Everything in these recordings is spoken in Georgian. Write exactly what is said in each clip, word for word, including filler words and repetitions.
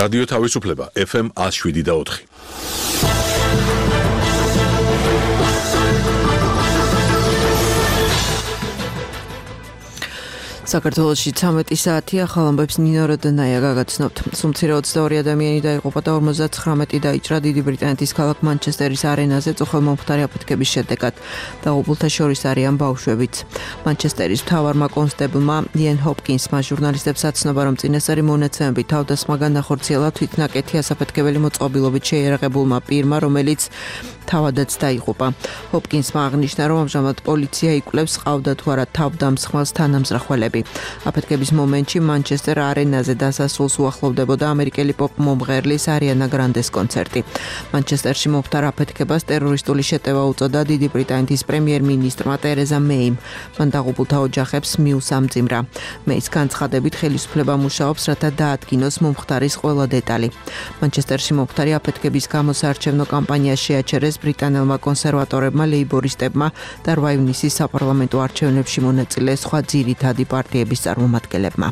რადიო თავისუფლება ეფ ემ one oh seven და four. საქართველოში ცამეტი საათი ახალ ამბებს ნინო როდონაია გაგაცნობთ. Სუმცირე ოცდაორი ადამიანი დაიღუპა და ორმოცდათხრამეტი დაიჭრა დიდი ბრიტანეთის ქალაქ მანჩესტერის არენაზე წუხელმომხდარი აფეთქების შედეგად. დაღუპულთა შორის არიან ბავშვებიც. მანჩესტერის მთავარმა კონსტაბლმა იენ ჰოპკინსმა ჟურნალისტებს აცნობა, რომ წინასწარი მონაცემებით თავდასხმა განახორციელა თვითნაკეთი ასაფეთქებელი მოწყობილობით შეიარაღებულმა პირმა, რომელიც თავადაც დაიღუპა. ჰოპკინსმა აღნიშნა, რომ ამჟამად პოლიცია იკვლევს ყავდა თუ არა თავდამსხმელს თანამზრახველები. აფეთქების მომენტში მანჩესტერ არენაზე დასასრულს უახლოვდებოდა ამერიკელი პოპ მომღერლის არიანა გრანდეს კონცერტი. მანჩესტერში მომხდარ აფეთქებას ტერორისტული შეტევა უწოდა დიდი ბრიტანეთის პრემიერ-მინისტრმა ტერეზა მეიმ. მან დაღუპულთა ოჯახებს მიუსამძიმრა. მეის განცხადებით ხელისუფლება მუშაობს, რათა დაადგინოს მომხდარის ყველა დეტალი. მანჩესტერში მომხდარი აფეთქების გამო საარჩევნო კამპანია შეაჩერეს ბრიტანელმა კონსერვატორებმა, ლეიბორისტებმა და რვა ივნისის საპარლამენტო არჩევნებში მონაწილე სხვა ძირითადი პარტიების წარმომადგენლებმა.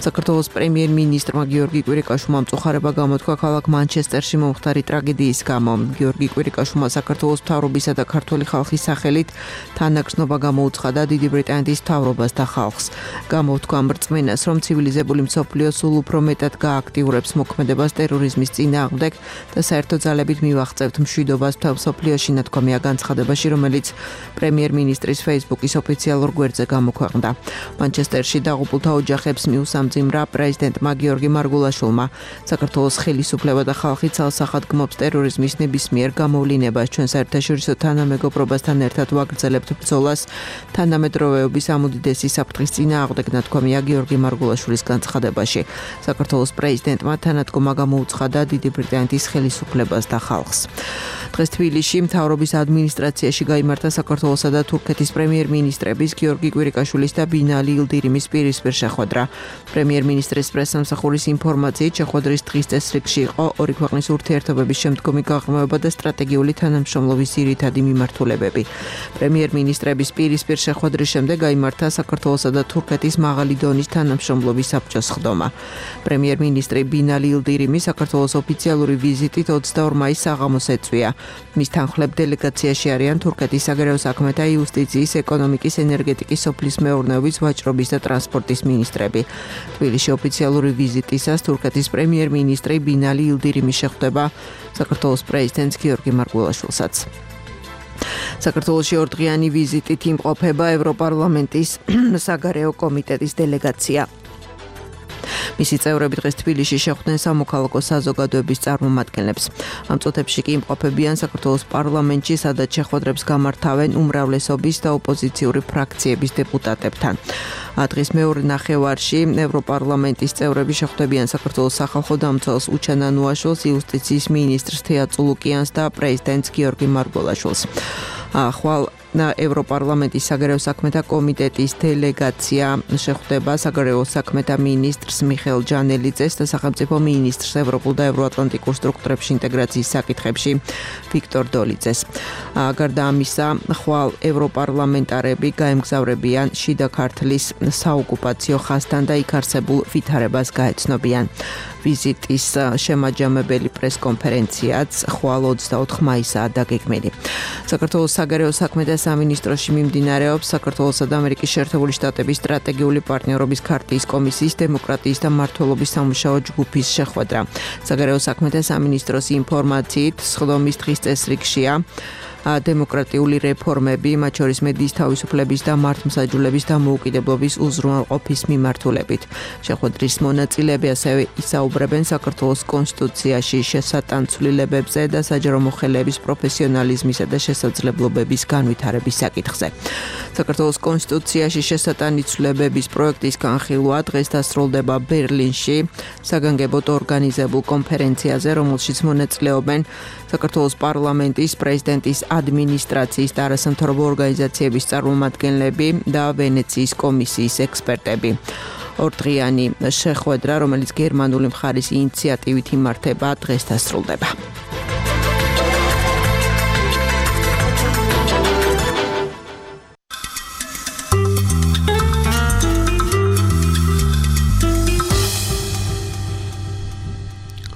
საქართველოს პრემიერ-მინისტრმა გიორგი კვირიკაშვილმა მწუხარება გამოთქვა ქალაქ მანჩესტერში მომხდარი ტრაგედიის გამო. გიორგი კვირიკაშვილმა საქართველოს მთავრობისა და ქართული ხალხის სახელით თანაგრძნობა გამოუცხადა დიდი ბრიტანეთის მთავრობას და ხალხს. გამოთქვა მრწმენას, რომ ცივილიზებული მსოფლიო სულ უფრო მეტად გააქტიურებს მოქმედებას ტერორიზმის წინააღმდეგ და საერთო ძალებით მივაღწევთ მშვიდობას მთელ მსოფლიოში, ნათქვამია განცხადებაში, რომელიც პრემიერ-მინისტრის ფეისბუქის ოფიციალურ გვერდზე გამოქვეყნდა. მანჩესტერში დაღუპულთა ოჯახებს მიუსამძიმრა პრეზიდენტმა გიორგი მარგულაშვილმა. საქართველოს ხელისუფლება და ხალხი ცალსახად გმობს ტერორიზმის ნებისმიერ გამოვლინებას. ჩვენ საერთაშორისო თანამეგობრობასთან ერთად ვაგრძელებთ ბრძოლას თანამედროვეობის ამ უდიდესი საფრთხის წინააღმდეგ, ნათქვამია გიორგი მარგულაშვილის განცხადებაში. საქართველოს პრეზიდენტმა თანადგომა გამოუცხადა დიდი ბრიტანეთის ხელისუფლებას და ხალხს. დღეს თბილისში მთავრობის ადმინისტრაციაში გაიმართა საქართველოსა და თურქეთის პრემიერ-მინისტრების გიორგი კვირიკაშვილის და ბინალი ილდირიმის პირისპირ შეხვედრა. პრემიერ-მინისტრის პრესსამსახურის ინფორმაციით, შეხვედრის დღის წესრიგში იყო ორი ქვეყნის ურთიერთობების შემდგომი გაღრმავება და სტრატეგიული თანამშრომლობის ძირითადი მიმართულებები. პრემიერ-მინისტრების პირისპირ შეხვედრის შემდეგ გაიმართა საქართველოსა და თურქეთის მაღალი დონის თანამშრომლობის საბჭოს სხდომა. პრემიერ-მინისტრი ბინალი ილდირიმი საქართველოს ოფიციალური ვიზიტით ოცდაორ მაისს საღამოს ეწვია. მის თანხლებ დელეგაციაში არიან თურქეთის საგარეო საქმეთა, იუსტიციის, ეკონომიკის, ენერგეტიკის, სოფლის მეურნეობის, ვაჭრობის და ტრანსპორტის მინისტრები. თბილისში ოფიციალური ვიზიტისას თურქეთის პრემიერ-მინისტრი ბინალი ილდირიმი შეხვდება საქართველოს პრეზიდენტს გიორგი მარგულაშვილსაც. საქართველოში ორდღიანი ვიზიტით იმყოფება ევროპარლამენტის საგარეო კომიტეტის დელეგაცია. მისი წევრები დღეს თბილისში შეხვდნენ სამოქალაქო საზოგადოების წარმომადგენლებს. ამ წუთებში კი იმყოფებიან საქართველოს პარლამენტში, სადაც შეხვედრებს გამართავენ უმრავლესობის და ოპოზიციური ფრაქციების დეპუტატებთან. დღის მეორე ნახევარში ევროპარლამენტის წევრები შეხვდებიან საქართველოს სახალხო დამცველს უჩანა ნუაშვილს, იუსტიციის მინისტრს თეა წულუკიანს და პრეზიდენტს გიორგი მარგულაშვილს. ახვალ ევროპარლამენტის საგარეო საქმეთა კომიტეტის დელეგაცია შეხვდება საგარეო საქმეთა მინისტრს მიხეილ ჯანელიძეს და სახელმწიფო მინისტრს ევროპულ და ევროატლანტიკურ სტრუქტურებში ინტეგრაციის საკითხებში ვიქტორ დოლიძეს. გარდა ამისა, ხვალ ევროპარლამენტარები გაემგზავრებიან შიდა ქართლის საოკუპაციო ხაზთან და იქ არსებულ ვითარებას გაეცნობიან. ვიზიტის შემაჯამებელი პრესკონფერენციაც ხვალ ოცდაოთხ მაისაა დაგეგმილი. საქართველოს საგარეო საქმეთა სამინისტროში მიმდინარეობს საქართველოსა და ამერიკის შეერთებული შტატების სტრატეგიული პარტნიორობის ქარტიის კომისიის დემოკრატიის და მმართველობის სამუშაო ჯგუფის შეხვედრა. საგარეო საქმეთა სამინისტროს ინფორმაციით, სხდომის დღის წესრიგშია დემოკრატიული რეფორმები, მათ შორის მედიის თავისუფლების და მართლმსაჯულების დამოუკიდებლობის უზრუნველყოფის მიმართულებით. შეხვედრის მონაწილეები ასევე ისაუბრებენ საქართველოს კონსტიტუციაში შესატანცვლილებებზე და საჯარო მოხელეების პროფესიონალიზმისა და შესაძლებლობების განვითარების საკითხზე. საქართველოს კონსტიტუციაში შესატანცვლებების პროექტის განხილვა დღეს დასრულდება ბერლინში საგანგებოდ ორგანიზებულ კონფერენციაზე, რომელშიც მონაწილეობენ საქართველოს პარლამენტის, პრეზიდენტის ადმინისტრაციის და არასამთავრობო ორგანიზაციების წარმომადგენლები და ვენეციის კომისიის ექსპერტები. ორდღიანი შეხვედრა, რომელიც გერმანული მხარის ინიციატივით იმართება, დღეს დასრულდება.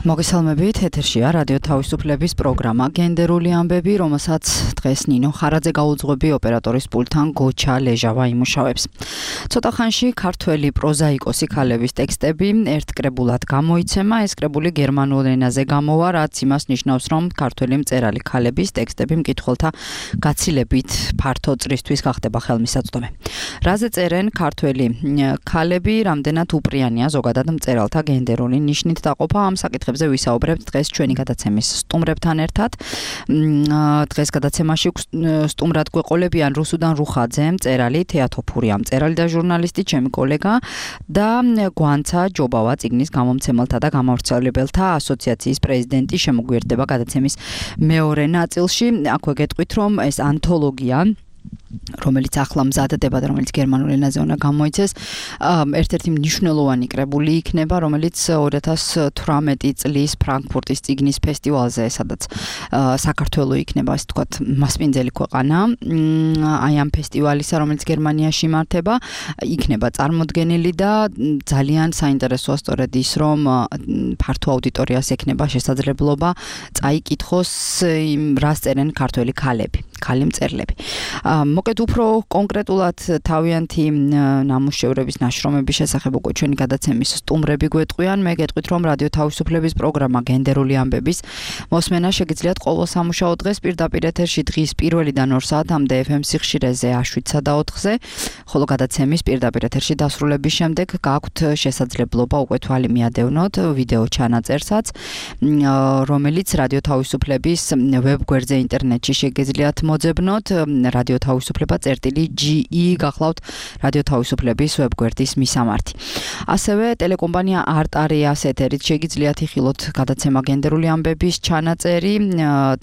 მოგესალმებით, ეთერშია რადიო თავისუფლების პროგრამა გენდერული ამბები, რომელსაც დღეს ნინო ხარაძე გაუძღვები ოპერატორის პულტთან გოჩა ლეჟავა იმუშავებს. ცოტა ხანში ქართველი პროზაიკოსი ქალების ტექსტები ერთ კრებულად გამოიცემა, ეს კრებული გერმანულ ენაზე გამოვა, რაც იმას ნიშნავს, რომ ქართველი მწერალი ქალების ტექსტები მკითხველთა გაცილებით ფართო წრისთვის გახდება ხელმისაწვდომი. რაზე წერენ ქართველი ქალები, რამდენად უპრიანია ზოგადად მწერალთა გენდერული ნიშნით დაყოფა, ამ საკითხებზე ვისაუბრებთ დღეს ჩვენი გადაცემის სტუმრებთან ერთად. დღეს გადაცემაში სტუმრად გვეყოლებიან რუსუდან რუხაძე, მწერალი, თეატოფურია მწერალი და ჟურნალისტი, ჩემი კოლეგა და გვანცა ჯობავა, წიგნის გამომცემელთა და გამავრცელებელთა ასოციაციის პრეზიდენტი შემოგვიერთდება გადაცემის მეორე ნაწილში. აქვე გეტყვით, რომ ეს ანთოლოგია რომელიც ახლა მზადდება და რომელიც გერმანულ ენაზე უნდა გამოიცეს, ერთ-ერთი მნიშვნელოვანი კრებული იქნება, რომელიც ორი ათას თვრამეტი წლის ფრანკფურტის წიგნის ფესტივალზე, სადაც საქართველო იქნება, ასე ვთქვათ, მასპინძელი ქვეყანა, აი ამ ფესტივალისა, რომელიც გერმანიაში იმართება, იქნება წარმოდგენილი და ძალიან საინტერესოა სწორედ ის, რომ ფართო აუდიტორიას ექნება შესაძლებლობა წაიკითხოს იმ რას წერენ ქართველი ქალები, ქალი მწერლები. მოკეთ უფრო კონკრეტულად თავიანთი ნამუშევრების ნაშრომების შესახებ უკვე ჩვენი გადაცემის სტუმრები გვეტყვიან. მე გეტყვით, რომ რადიო თავისუფლების პროგრამა გენდერული ამბების მოსმენა შეგიძლიათ ყოველ სამუშაო დღეს პირდაპირ ეთერში დღის პირველიდან ორ საათამდე ეფ ემ სიხშირეზე შვიდსა და ოთხზე, ხოლო გადაცემის პირდაპირ ეთერში დასრულების შემდეგ გაქვთ შესაძლებლობა უკვე თვალი მიადევნოთ ვიდეო ჩანაწერსაც, რომელიც რადიო თავისუფლების ვებგვერდზე ინტერნეტში შეგიძლიათ მოძებნოთ. რადიო თავისუფლება წერტილი ჯი ი გახლავთ რადიო თავისუფლების ვებგვერდის მისამართი. ასევე ტელეკომპანია არტარიას ეთერით შეგიძლიათ იხილოთ გადაცემა გენდერული ამბების ჩანაწერი.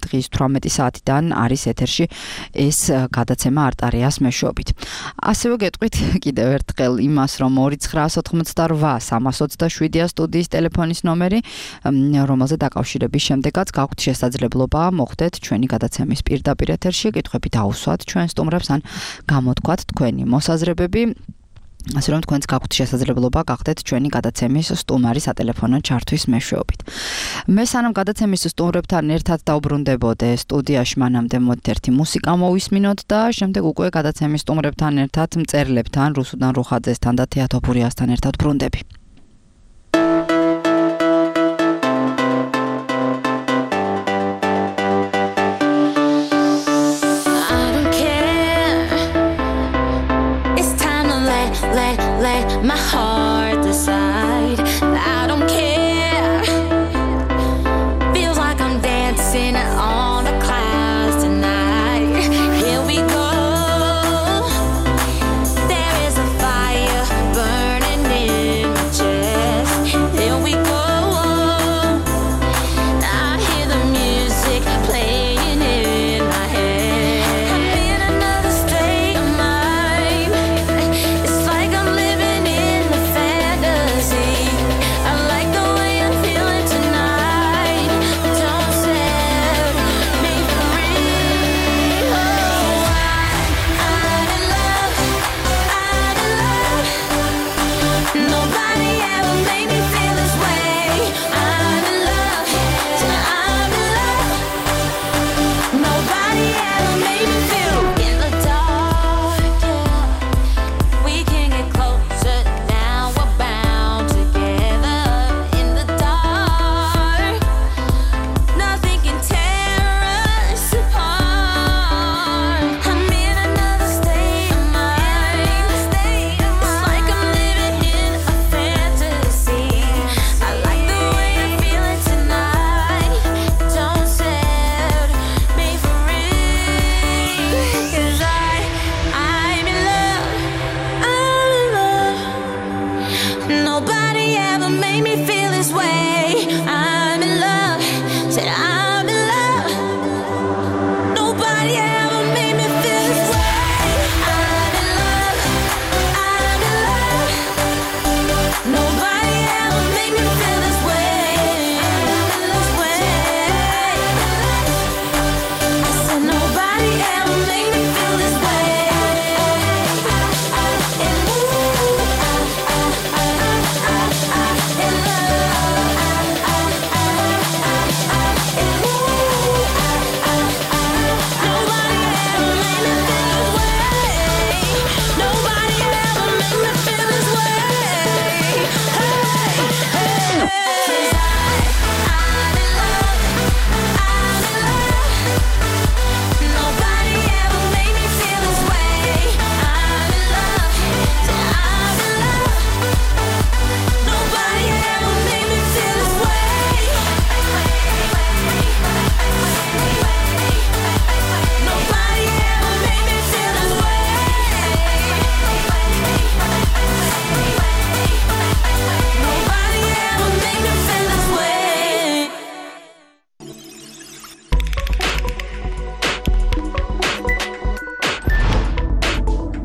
დღის თვრამეტი საათიდან არის ეთერში ეს გადაცემა არტარიას მეშვეობით. ასევე გეტყვით კიდევ ერთხელ იმას, რომ ორი ცხრა ოთხმოცდა რვა სამას ოცდაშვიდია სტუდიის ტელეფონის ნომერი, რომელზე დაკავშირების შემდეგაც გაქვთ შესაძლებლობა მოხვდეთ ჩვენი გადაცემის პირდაპირ ეთერში, კითხვები დაუსვათ ჩვენ სტუმრებს ან გამოთქვათ თქვენი მოსაზრებები, ასე რომ თქვენც გაქვთ შესაძლებლობა გახდეთ ჩვენი გადაცემის სტუმარი სატელეფონო ჩართვის მეშვეობით. მე სანამ გადაცემის სტუმრებთან ერთად დავბრუნდებოდე სტუდიაში, მანამდე მოდით ერთი მუსიკა მოვისმინოთ და შემდეგ უკვე გადაცემის სტუმრებთან ერთად მწერლებთან, რუსუდან რუხაძესთან და თეატოფურიასთან ერთად ბრუნდები. My heart decide I don't care. Feels like I'm dancing on the clouds tonight. Here we go. There is a fire burning in my chest. Here we go. I hear the music playing in my head. I'm in another state of mind. It's like I'm living in the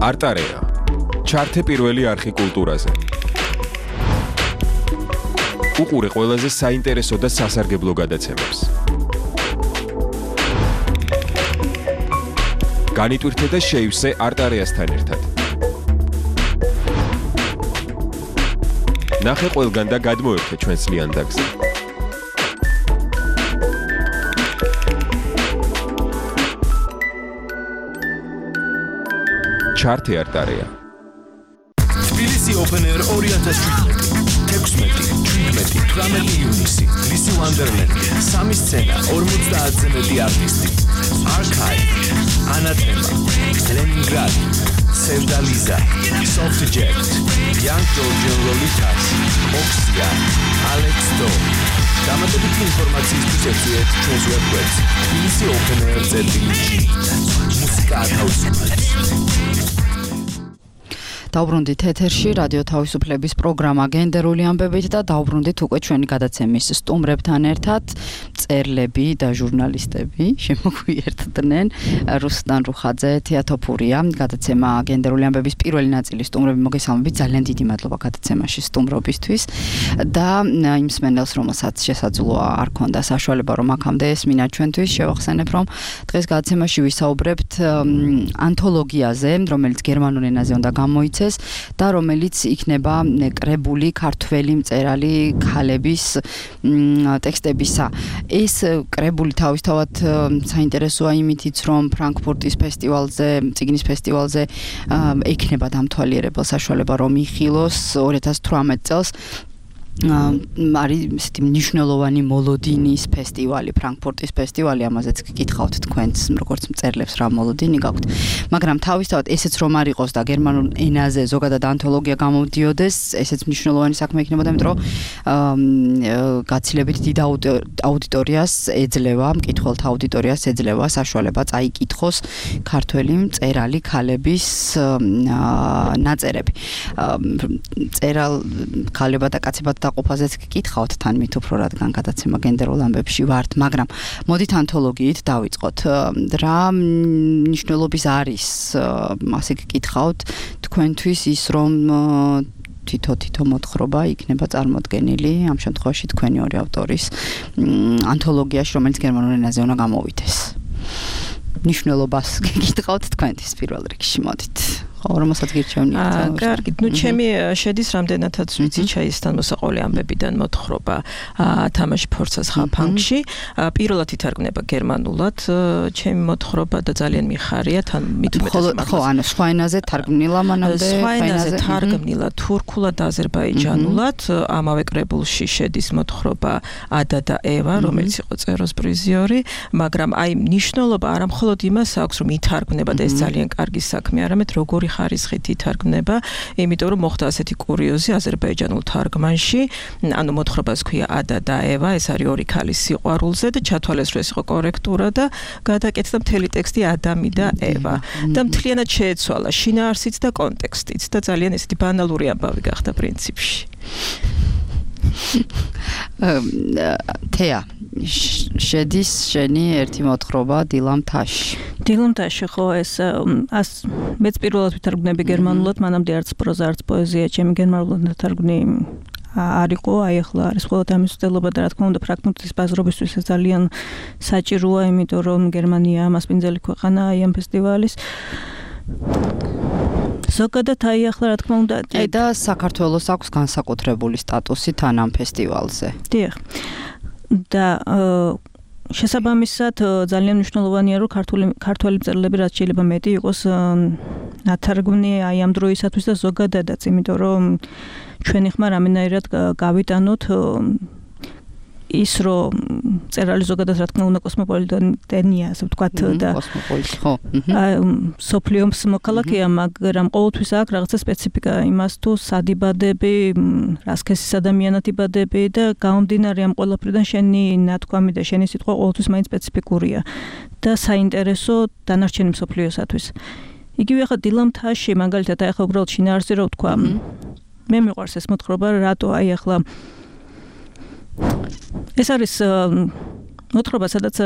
არტარეა. ჩართე პირველი არხი კულტურაზე. უყურე ყველაზე საინტერესო და სასარგებლო გადაცემებს. განიტვირთე და შეივსე არტარეასთან ერთად. ნახე ყველგან და გადმოერთე ჩვენს ლიანდაგზე. ჩართე არტარეა. თბილისი Open Air ორი ათას შვიდმეტი, თექვსმეტი, შვიდმეტი, თვრამეტი ივნისი, ლისი ვანდერლენდი, სამი სცენა, ორმოცდაათზე მეტი არტისტი. Archive, Anathema, Leningrad, Sevdaliza, Soft Jet, Young Georgian Lolitas, Oxia, Alex Do. დამატებითი ინფორმაციისთვის ეწვიეთ ჩვენს ვებგვერდს თბილისი Open Air წერტილი. მუსიკა ათავისუფლებს. დავბრუნდით ეთერში რადიო თავისუფლების პროგრამა გენდერული ამბებით და დავბრუნდით უკვე ჩვენი გადაცემის სტუმრებთან ერთად წერლები და ჟურნალისტები შემოგვიერთდნენ რუსტან რუხაძე, თეატოფურია გადაცემა გენდერული ამბების პირველი ნაწილი სტუმრები მოგესალმებით ძალიან დიდი მადლობა გადაცემაში სტუმრობისთვის და იმ მსმენელს რომელსაც შესაძლოა არ ქონდა საშუალება რომ აქამდე ესმინა ჩვენთვის შევახსენებ რომ დღეს გადაცემაში ვისაუბრებთ ანთოლოგიაზე რომელიც გერმანულ ენაზე უნდა გამოიცეს და რომელიც იქნება კრებული ქართველი მწერალი ქალების ტექსტებისა. ეს კრებული თავისთავად საინტერესოა იმითიც, რომ ფრანკფურტის ფესტივალზე, წიგნის ფესტივალზე ექნება დამთვალიერებელ საშუალება რომ იხილოს ორი ათას თვრამეტ წელს. არის ისეთი მნიშვნელოვანი მოლოდინის ფესტივალი, ფრანკფურტის ფესტივალი, ამაზეც გკითხავთ თქვენს, როგორც მწერლებს რა მოლოდინი გაქვთ. მაგრამ თავისთავად ესეც რომ არ იყოს და გერმანულ ენაზე ზოგადად ანთოლოგია გამოდიოდეს, ესეც მნიშვნელოვანი საქმე იქნებოდა, იმიტომ რომ გაცილებით დიდ აუდიტორიას ეძლევა, მკითხველთა აუდიტორიას ეძლევა საშუალება წაიკითხოს ქართველი მწერალი ქალების ნაწერები. მწერალ ქალებად და კაცებად დაყოფაზეც გკითხავთ თან მით უფრო რადგან გადაცემა გენდერულ ამბებში ვართ, მაგრამ მოდით ანთოლოგიით დავიწყოთ. რა მნიშვნელობის არის, ასე გკითხავთ, თქვენთვის ის რომ თითო-თითო მოთხრობა იქნება წარმოდგენილი, ამ შემთხვევაში თქვენი ორი ავტორის ანთოლოგიაში, რომელიც გერმანულ ენაზე უნდა გამოვიდეს. მნიშვნელობას გკითხავთ თქვენთვის პირველ რიგში, მოდით. რომელსაც გირჩევნიათ. კარგი, ნუ ჩემი შედის რამდენადაც ვიცი ჩაისთან მოსაყოლე ამბებიდან მოთხრობა თამაში ფორცას ხაფანგში. პირველად ითარგმნება გერმანულად ჩემი მოთხრობა და ძალიან მიხარია თან მით უმეტეს ხო, ანუ სხვა ენაზე თარგმნილა მანამდე, სხვა ენაზე თარგმნილა თურქულად, აზერბაიჯანულად. ამავე კრებულში შედის მოთხრობა ადა და ევა, რომელიც იყო წეროს პრიზიორი, მაგრამ აი მნიშვნელობა არა მხოლოდ იმას აქვს, რომ ითარგმნება და ეს ძალიან კარგი საქმე, არამედ როგორი ხარისხით ითარგმნება, იმიტომ რომ მოხდა ასეთი კურიოზი აზერბაიჯანულ თარგმანში, ანუ მოთხრობას ქვია ადა და ევა, ეს არის ორი ქალის სიყვარულზე და ჩათვალეს რომ ეს იყო კორექტურა და გადაკეთდა მთელი ტექსტი ადამი და ევა და მთლიანად შეეცვალა შინაარსიც და კონტექსტიც და ძალიან ესეთი ბანალური ამბავი გახდა პრინციპში. თეა შედის შენი ერთი მოთხრობა დილამთაში. დილამთაში ხო ეს მეც პირველად ვითარგმნები გერმანულად, მანამდე არც პროზა, არც პოეზია ჩემი გერმანულად ნათარგმნი არ იყო, აი ახლა არის ყოველთ ამის ცდელობა და რა თქმა უნდა ფრანკფურტის ბაზრობისთვის ეს ძალიან საჭიროა, იმიტომ რომ გერმანია მასპინძელი ქვეყანაა აი ამ ფესტივალის. ზოგადად აი ახლა რა თქმა უნდა აი და საქართველოს აქვს განსაკუთრებული სტატუსი თან ამ ფესტივალზე. დიახ. და შესაბამისად ძალიან მნიშვნელოვანია რომ ქართული ქართველი მწერლები რაც შეიძლება მეტი იყოს ნათარგმნი აი ამ დროისათვის და ზოგადადაც, იმიტომ რომ ჩვენი ხმა რამენაირად გავიტანოთ ის რომ მწერალი ზოგადად რა თქმა უნდა კოსმოპოლიტენია, ასე ვთქვათ და კოსმოპოლიტი ხო. სოფლიოს მოქალაქეა, მაგრამ ყოველთვის აქვს რაღაცა სპეციფიკა იმას თუ სადიბადები, რა სქესის ადამიანად იბადები და გამომდინარე ამ ყველაფრიდან შენი ნათქვამი და შენი სიტყვა ყოველთვის მაინც სპეციფიკურია და საინტერესო დანარჩენი მსოფლიოსათვის. იგივე ახლა დილამთაში მაგალითად აი ახლა უბრალოდ შინაარსი რო ვთქვა, მე მიყვარს ეს მოთხრობა, რატო აი ახლა ეს არის მოთხრობა, სადაც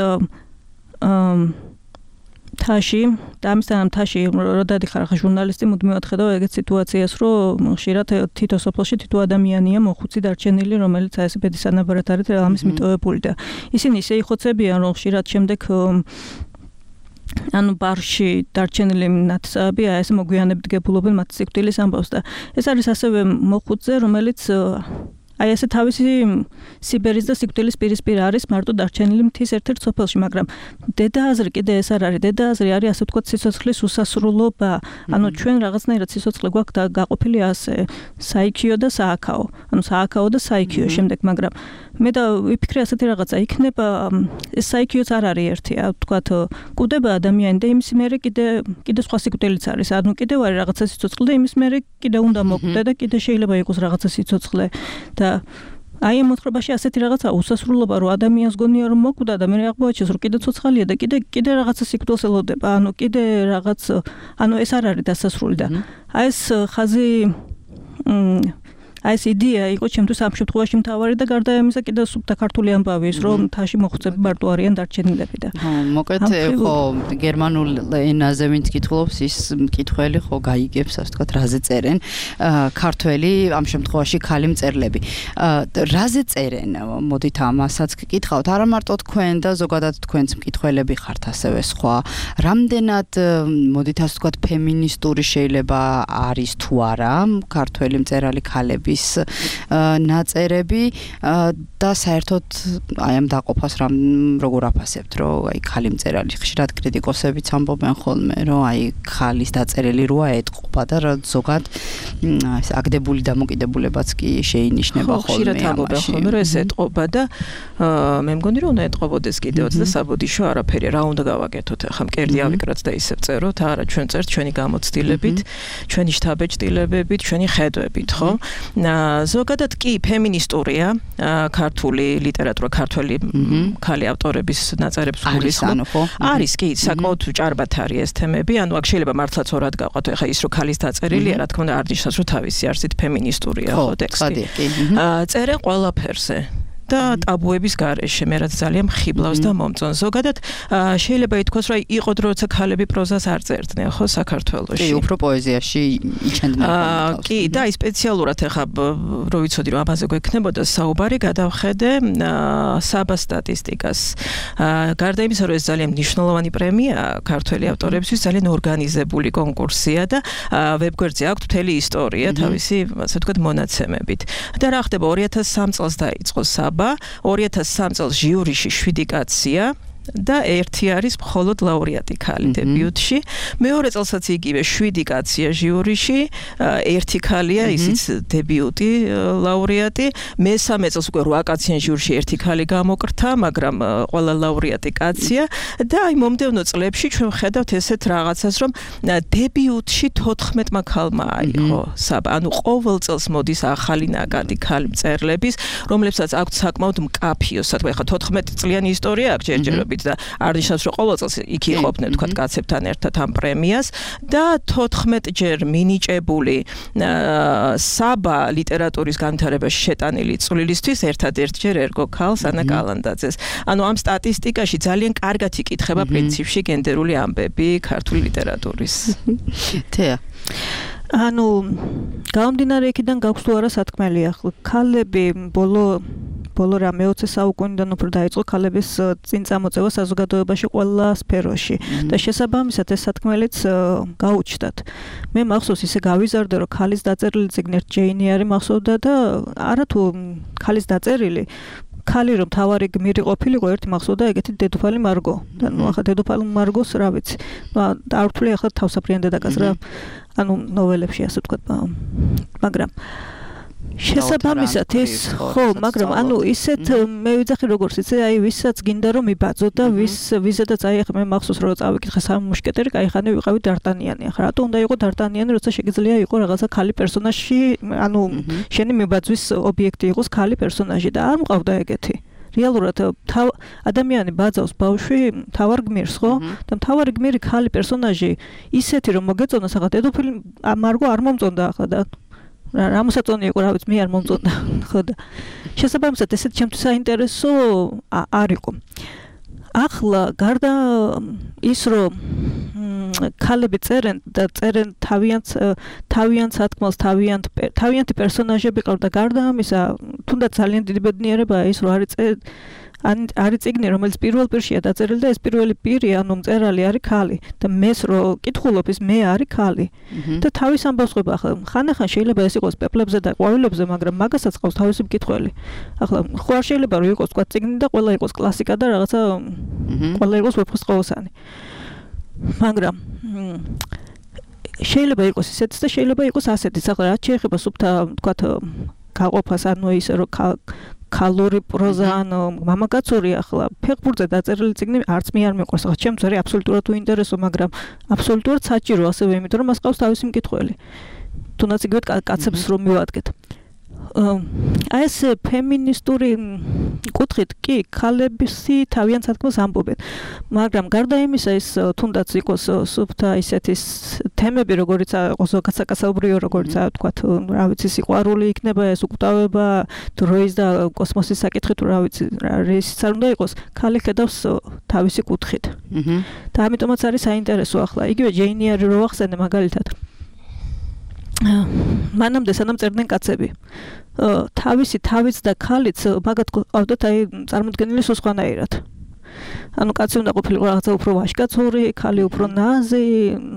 თაში და ამისთან თაში რო დადიხარ ხა ჟურნალისტი მუდმივად ხედავ ეგეთ სიტუაციას რომ ხშირად თითო სოფელში თითო ადამიანია მოხუცი დარჩენილი რომელიც აი ესე ბედის ანაბარად არის ამის მიტოვებული და ისინი ისე იხოცებიან რომ ხშირად შემდეგ ანუ ბარში დარჩენილი ნათესავები აი ესე მოგვიანებით გებულობენ მათ სიკვდილის ამბავს და ეს არის ასევე მოხუცზე რომელიც აი ესე თავისი სიბერის და სიკვდილის პირისპირ არის მარტო დარჩენილი მთის ერთ-ერთ სოფელში, მაგრამ დედააზრი კიდე ეს არ არის. დედააზრი არის ასე ვთქვათ სიცოცხლის უსასრულობა. ანუ ჩვენ რაღაცნაირად სიცოცხლე გვაქვს და გაყოფილი ასე საიქიო და სააქაო. ანუ სააქაო და საიქიო შემდეგ, მაგრამ მე და ვიფიქრე ასეთი რაღაცა იქნება ეს საიქიოც არ არის ერთი, ვთქვათ კვდება ადამიანი და იმის მერე კიდე კიდე სხვა სიკვდილიც არის. ანუ კიდევ არის რაღაცა სიცოცხლე და იმის მერე კიდე უნდა მოკვდე და კიდე შეიძლება იყოს რაღაცა სიცოცხლე და აი ამ მოთხრობაში ასეთი რაღაცა უსასრულობა რომ ადამიანს გონია რომ მოკვდა და მე აღმოაჩენს რომ კიდე ცოცხალია და კიდე კიდე რაღაცა სიკვდილს ელოდება. ანუ კიდე რაღაც ანუ ეს არ არის დასასრული და აი ეს ხაზი აი ეს იდეა იყო ჩემთვის ამ შემთხვევაში მთავარი და გარდა ამისა კიდე სუბთა ქართული ამბავი ის რომ თაში მოხუცები მარტო არიან დარჩენილები და ხო მოკეთ ხო გერმანულ ენაზე ვინც კითხულობს ის მკითხველი ხო გაიგებს ასე ვთქვათ რაზე წერენ ქართველი ამ შემთხვევაში ქალი მწერლები რაზე წერენ მოდით ამასაც გკითხავთ არა მარტო თქვენ და ზოგადად თქვენც მკითხველები ხართ ასევე სხვა რამდენად მოდით ასე ვთქვათ ფემინისტური შეიძლება არის თუ არა ქართველი მწერალი ქალები ნაწერები და საერთოდ აი ამ დაყოფას რამ როგორ აფასებთ რომ აი ქალი მწერალი ხშირად კრიტიკოსებიც ამბობენ ხოლმე რომ აი ქალის დაწერილი როა ეთყობა და ზოგად ეს აგდებული დამოკიდებულებაც კი შეინიშნება ხოლმე ხშირად ამბობენ ხოლმე რომ ეს ეთყობა და მე მგონი რომ უნდა ეთყობოდეს კიდევაც და საბოდიშო არაფერი რა უნდა გავაკეთოთ ახლა მკერდი ავიკრათ და ისევ წეროთ არა ჩვენ წერთ ჩვენი გამოცდილებით ჩვენი შთაბეჭდილებებით ჩვენი ხედვებით ხო ზოგადად კი ფემინისტურია ქართული ლიტერატურა ქართველი ქალი ავტორების ნაწერებს გულისხმობ არის კი საკმაოდ ჭარბად არის ეს თემები ანუ აქ შეიძლება მართლაც ორად გავყოთ ეხა ის რომ ქალის დაწერილია რა თქმა უნდა არ ნიშნავს რომ თავისი არსით ფემინისტურია ხო ტექსტი წერენ ყველაფერზე და ტაბუების გარეშე მე რაც ძალიან მხიბლავს და მომწონს ზოგადად შეიძლება ითქვას რომ იყო დრო როცა ქალები პროზას არ წერდნენ ხო საქართველოში კი უფრო პოეზიაში იჩენდნენ კი და აი სპეციალურად ახლა რო ვიცოდი რომ ამაზე გვექნებოდა საუბარი გადავხედე საბა სტატისტიკას გარდა იმისა რომ ეს ძალიან მნიშვნელოვანი პრემია ქართველი ავტორებისთვის ძალიან ორგანიზებული კონკურსია და ვებგვერდზე აქვს მთელი ისტორია თავისი ასე ვთქვათ მონაცემებით და რა ხდება ორი ათას სამი წელს დაიწყო ორი ათას სამი წელს ჟიურიში შვიდი კაცია და ერთი არის მხოლოდ ლაურეატი ქალი დებიუტში მეორე წელსაც იგივე შვიდი კაცია ჟიურიში ერთი ქალია ისიც დებიუტი ლაურეატი მესამე წელს უკვე რვა კაციან ჟიურიში ერთი ქალი გამოკრთა მაგრამ ყველა ლაურეატი კაცია და აი მომდევნო წლებში ჩვენ ვხედავთ ესეთ რაღაცას რომ დებიუტში თოთხმეტმა ქალმა აიღო საბა ანუ ყოველ წელს მოდის ახალი ნაკადი ქალი მწერლების რომლებსაც აქვთ საკმაოდ მკაფიო სათქო ეხა თოთხმეტი წლიანი ისტორია აქვს ჯერჯერობით და არ ნიშნავს რომ ყოველ წელს იქ იყოფდნენ თქვა კაცებთან ერთად ამ პრემიას და თოთხმეტ ჯერ მინიჭებული საბა ლიტერატურის განვითარებაში შეტანილი წვლილისთვის ერთადერთ ჯერ ერგო ქალს ანა კალანდაძეს ანუ ამ სტატისტიკაში ძალიან კარგად იკითხება პრინციპში გენდერული ამბები ქართული ლიტერატურის თეა ანუ გამომდინარე იქიდან გაქვს თუ არა სათქმელი ახლა ქალები ბოლო ბოლო რა მეოცე საუკუნიდან უფრო დაიწყო ქალების წინ წამოწევა საზოგადოებაში ყველა სფეროში და შესაბამისად ეს სათქმელიც გაუჩნდათ. მე მახსოვს ისე გავიზარდე რომ ქალის დაწერილი წიგნი ჯეინი არის მახსოვდა და არა თუ ქალის დაწერილი ქალი რომ თავარი გმირი ყოფილიყო ერთი მახსოვდა ეგეთი დედოფალი მარგო და ნუ ახლა დედოფალი მარგოს რა ვიცი არ ვთვლი ახლა თავსაფრიან დედაკაც რა ანუ ნოველებში ასე ვთქვათ მაგრამ შესაბამისად ეს ხო მაგრამ ანუ ისეთ მე ვიძახი როგორც იცი აი ვისაც გინდა რომ იბაძო და ვის ვიზედაც აი ახლა მე მახსოვს რომ წავიკითხე სამი მუშკეტერი კაიხანი ვიყავი დარტანიანი ახლა რატო უნდა იყო დარტანიანი როცა შეგიძლია იყო რაღაცა ქალი პერსონაჟი ანუ შენი მიბაძვის ობიექტი იყოს ქალი პერსონაჟი და არ მყავდა ეგეთი რეალურად ადამიანი ბაძავს ბავშვი თავარ გმირს ხო და თავარი გმირი ქალი პერსონაჟი ისეთი რომ მოგეწონოს ახლა დედოფალი მარგო არ მომწონდა ახლა და რა მოსაწონი იყო რა ვიცი მე არ მომწონდა ხო და შესაბამისად ესეთ ჩემთვის საინტერესო არ იყო ახლა გარდა ის რომ ქალები წერენ და წერენ თავიანთ თავიანთ სათქმელს თავიანთ თავიანთი პერსონაჟები ყავთ და გარდა ამისა თუნდაც ძალიან დიდი ბედნიერებაა ის რომ არის არის წიგნი რომელიც პირველ პირშია დაწერილი და ეს პირველი პირი ანუ მწერალი არის ქალი და მეს რომ კითხულობ ის მე არის ქალი და თავის ამბავს ყვება ახლა ხანახან შეიძლება ეს იყოს პეპლებზე და ყვავილებზე მაგრამ მაგასაც ყავს თავისი მკითხველი ახლა ხო არ შეიძლება რომ იყოს თქვა წიგნი და ყველა იყოს კლასიკა და რაღაცა ყველა იყოს ვეფხისტყაოსანი მაგრამ შეიძლება იყოს ისეთიც და შეიძლება იყოს ასეთიც ახლა რაც შეეხება სუფთა თქვა გაყოფას ანუ ისე რომ ქალური პროზა ანუ მამაკაცური ახლა ფეხბურთზე დაწერილი წიგნი არც მე არ მეყვარს ახლა ჩემს არის აბსოლუტურად უინტერესო მაგრამ აბსოლუტურად საჭირო ასევე იმიტომ რომ მას ყავს თავისი მკითხველი თუნდაც იგივე კაცებს რომ მივადგეთ აი ეს ფემინისტური კუთხით კი ქალებისი თავიანთ სათქმელს ამბობენ მაგრამ გარდა იმისა ის თუნდაც იყოს სუფთა ისეთის თემები როგორიც ზოგადად საკაცობრიო როგორიც თქვათ რა ვიცი სიყვარული იქნება ეს უკვდავება დროის და კოსმოსის საკითხი თუ რა ვიცი რისიც არ უნდა იყოს ქალი ხედავს თავისი კუთხით და ამიტომაც არის საინტერესო ახლა იგივე ჯეინი არის რო ახსენე მაგალითად მანამდე სანამ წერდნენ კაცები თავისი თავიც და ქალიც მაგათ ყავდათ აი წარმოდგენილი სხვანაირად ანუ კაცი უნდა ყოფილიყო რაღაცა უფრო ვაჟკაცური ქალი უფრო ნაზი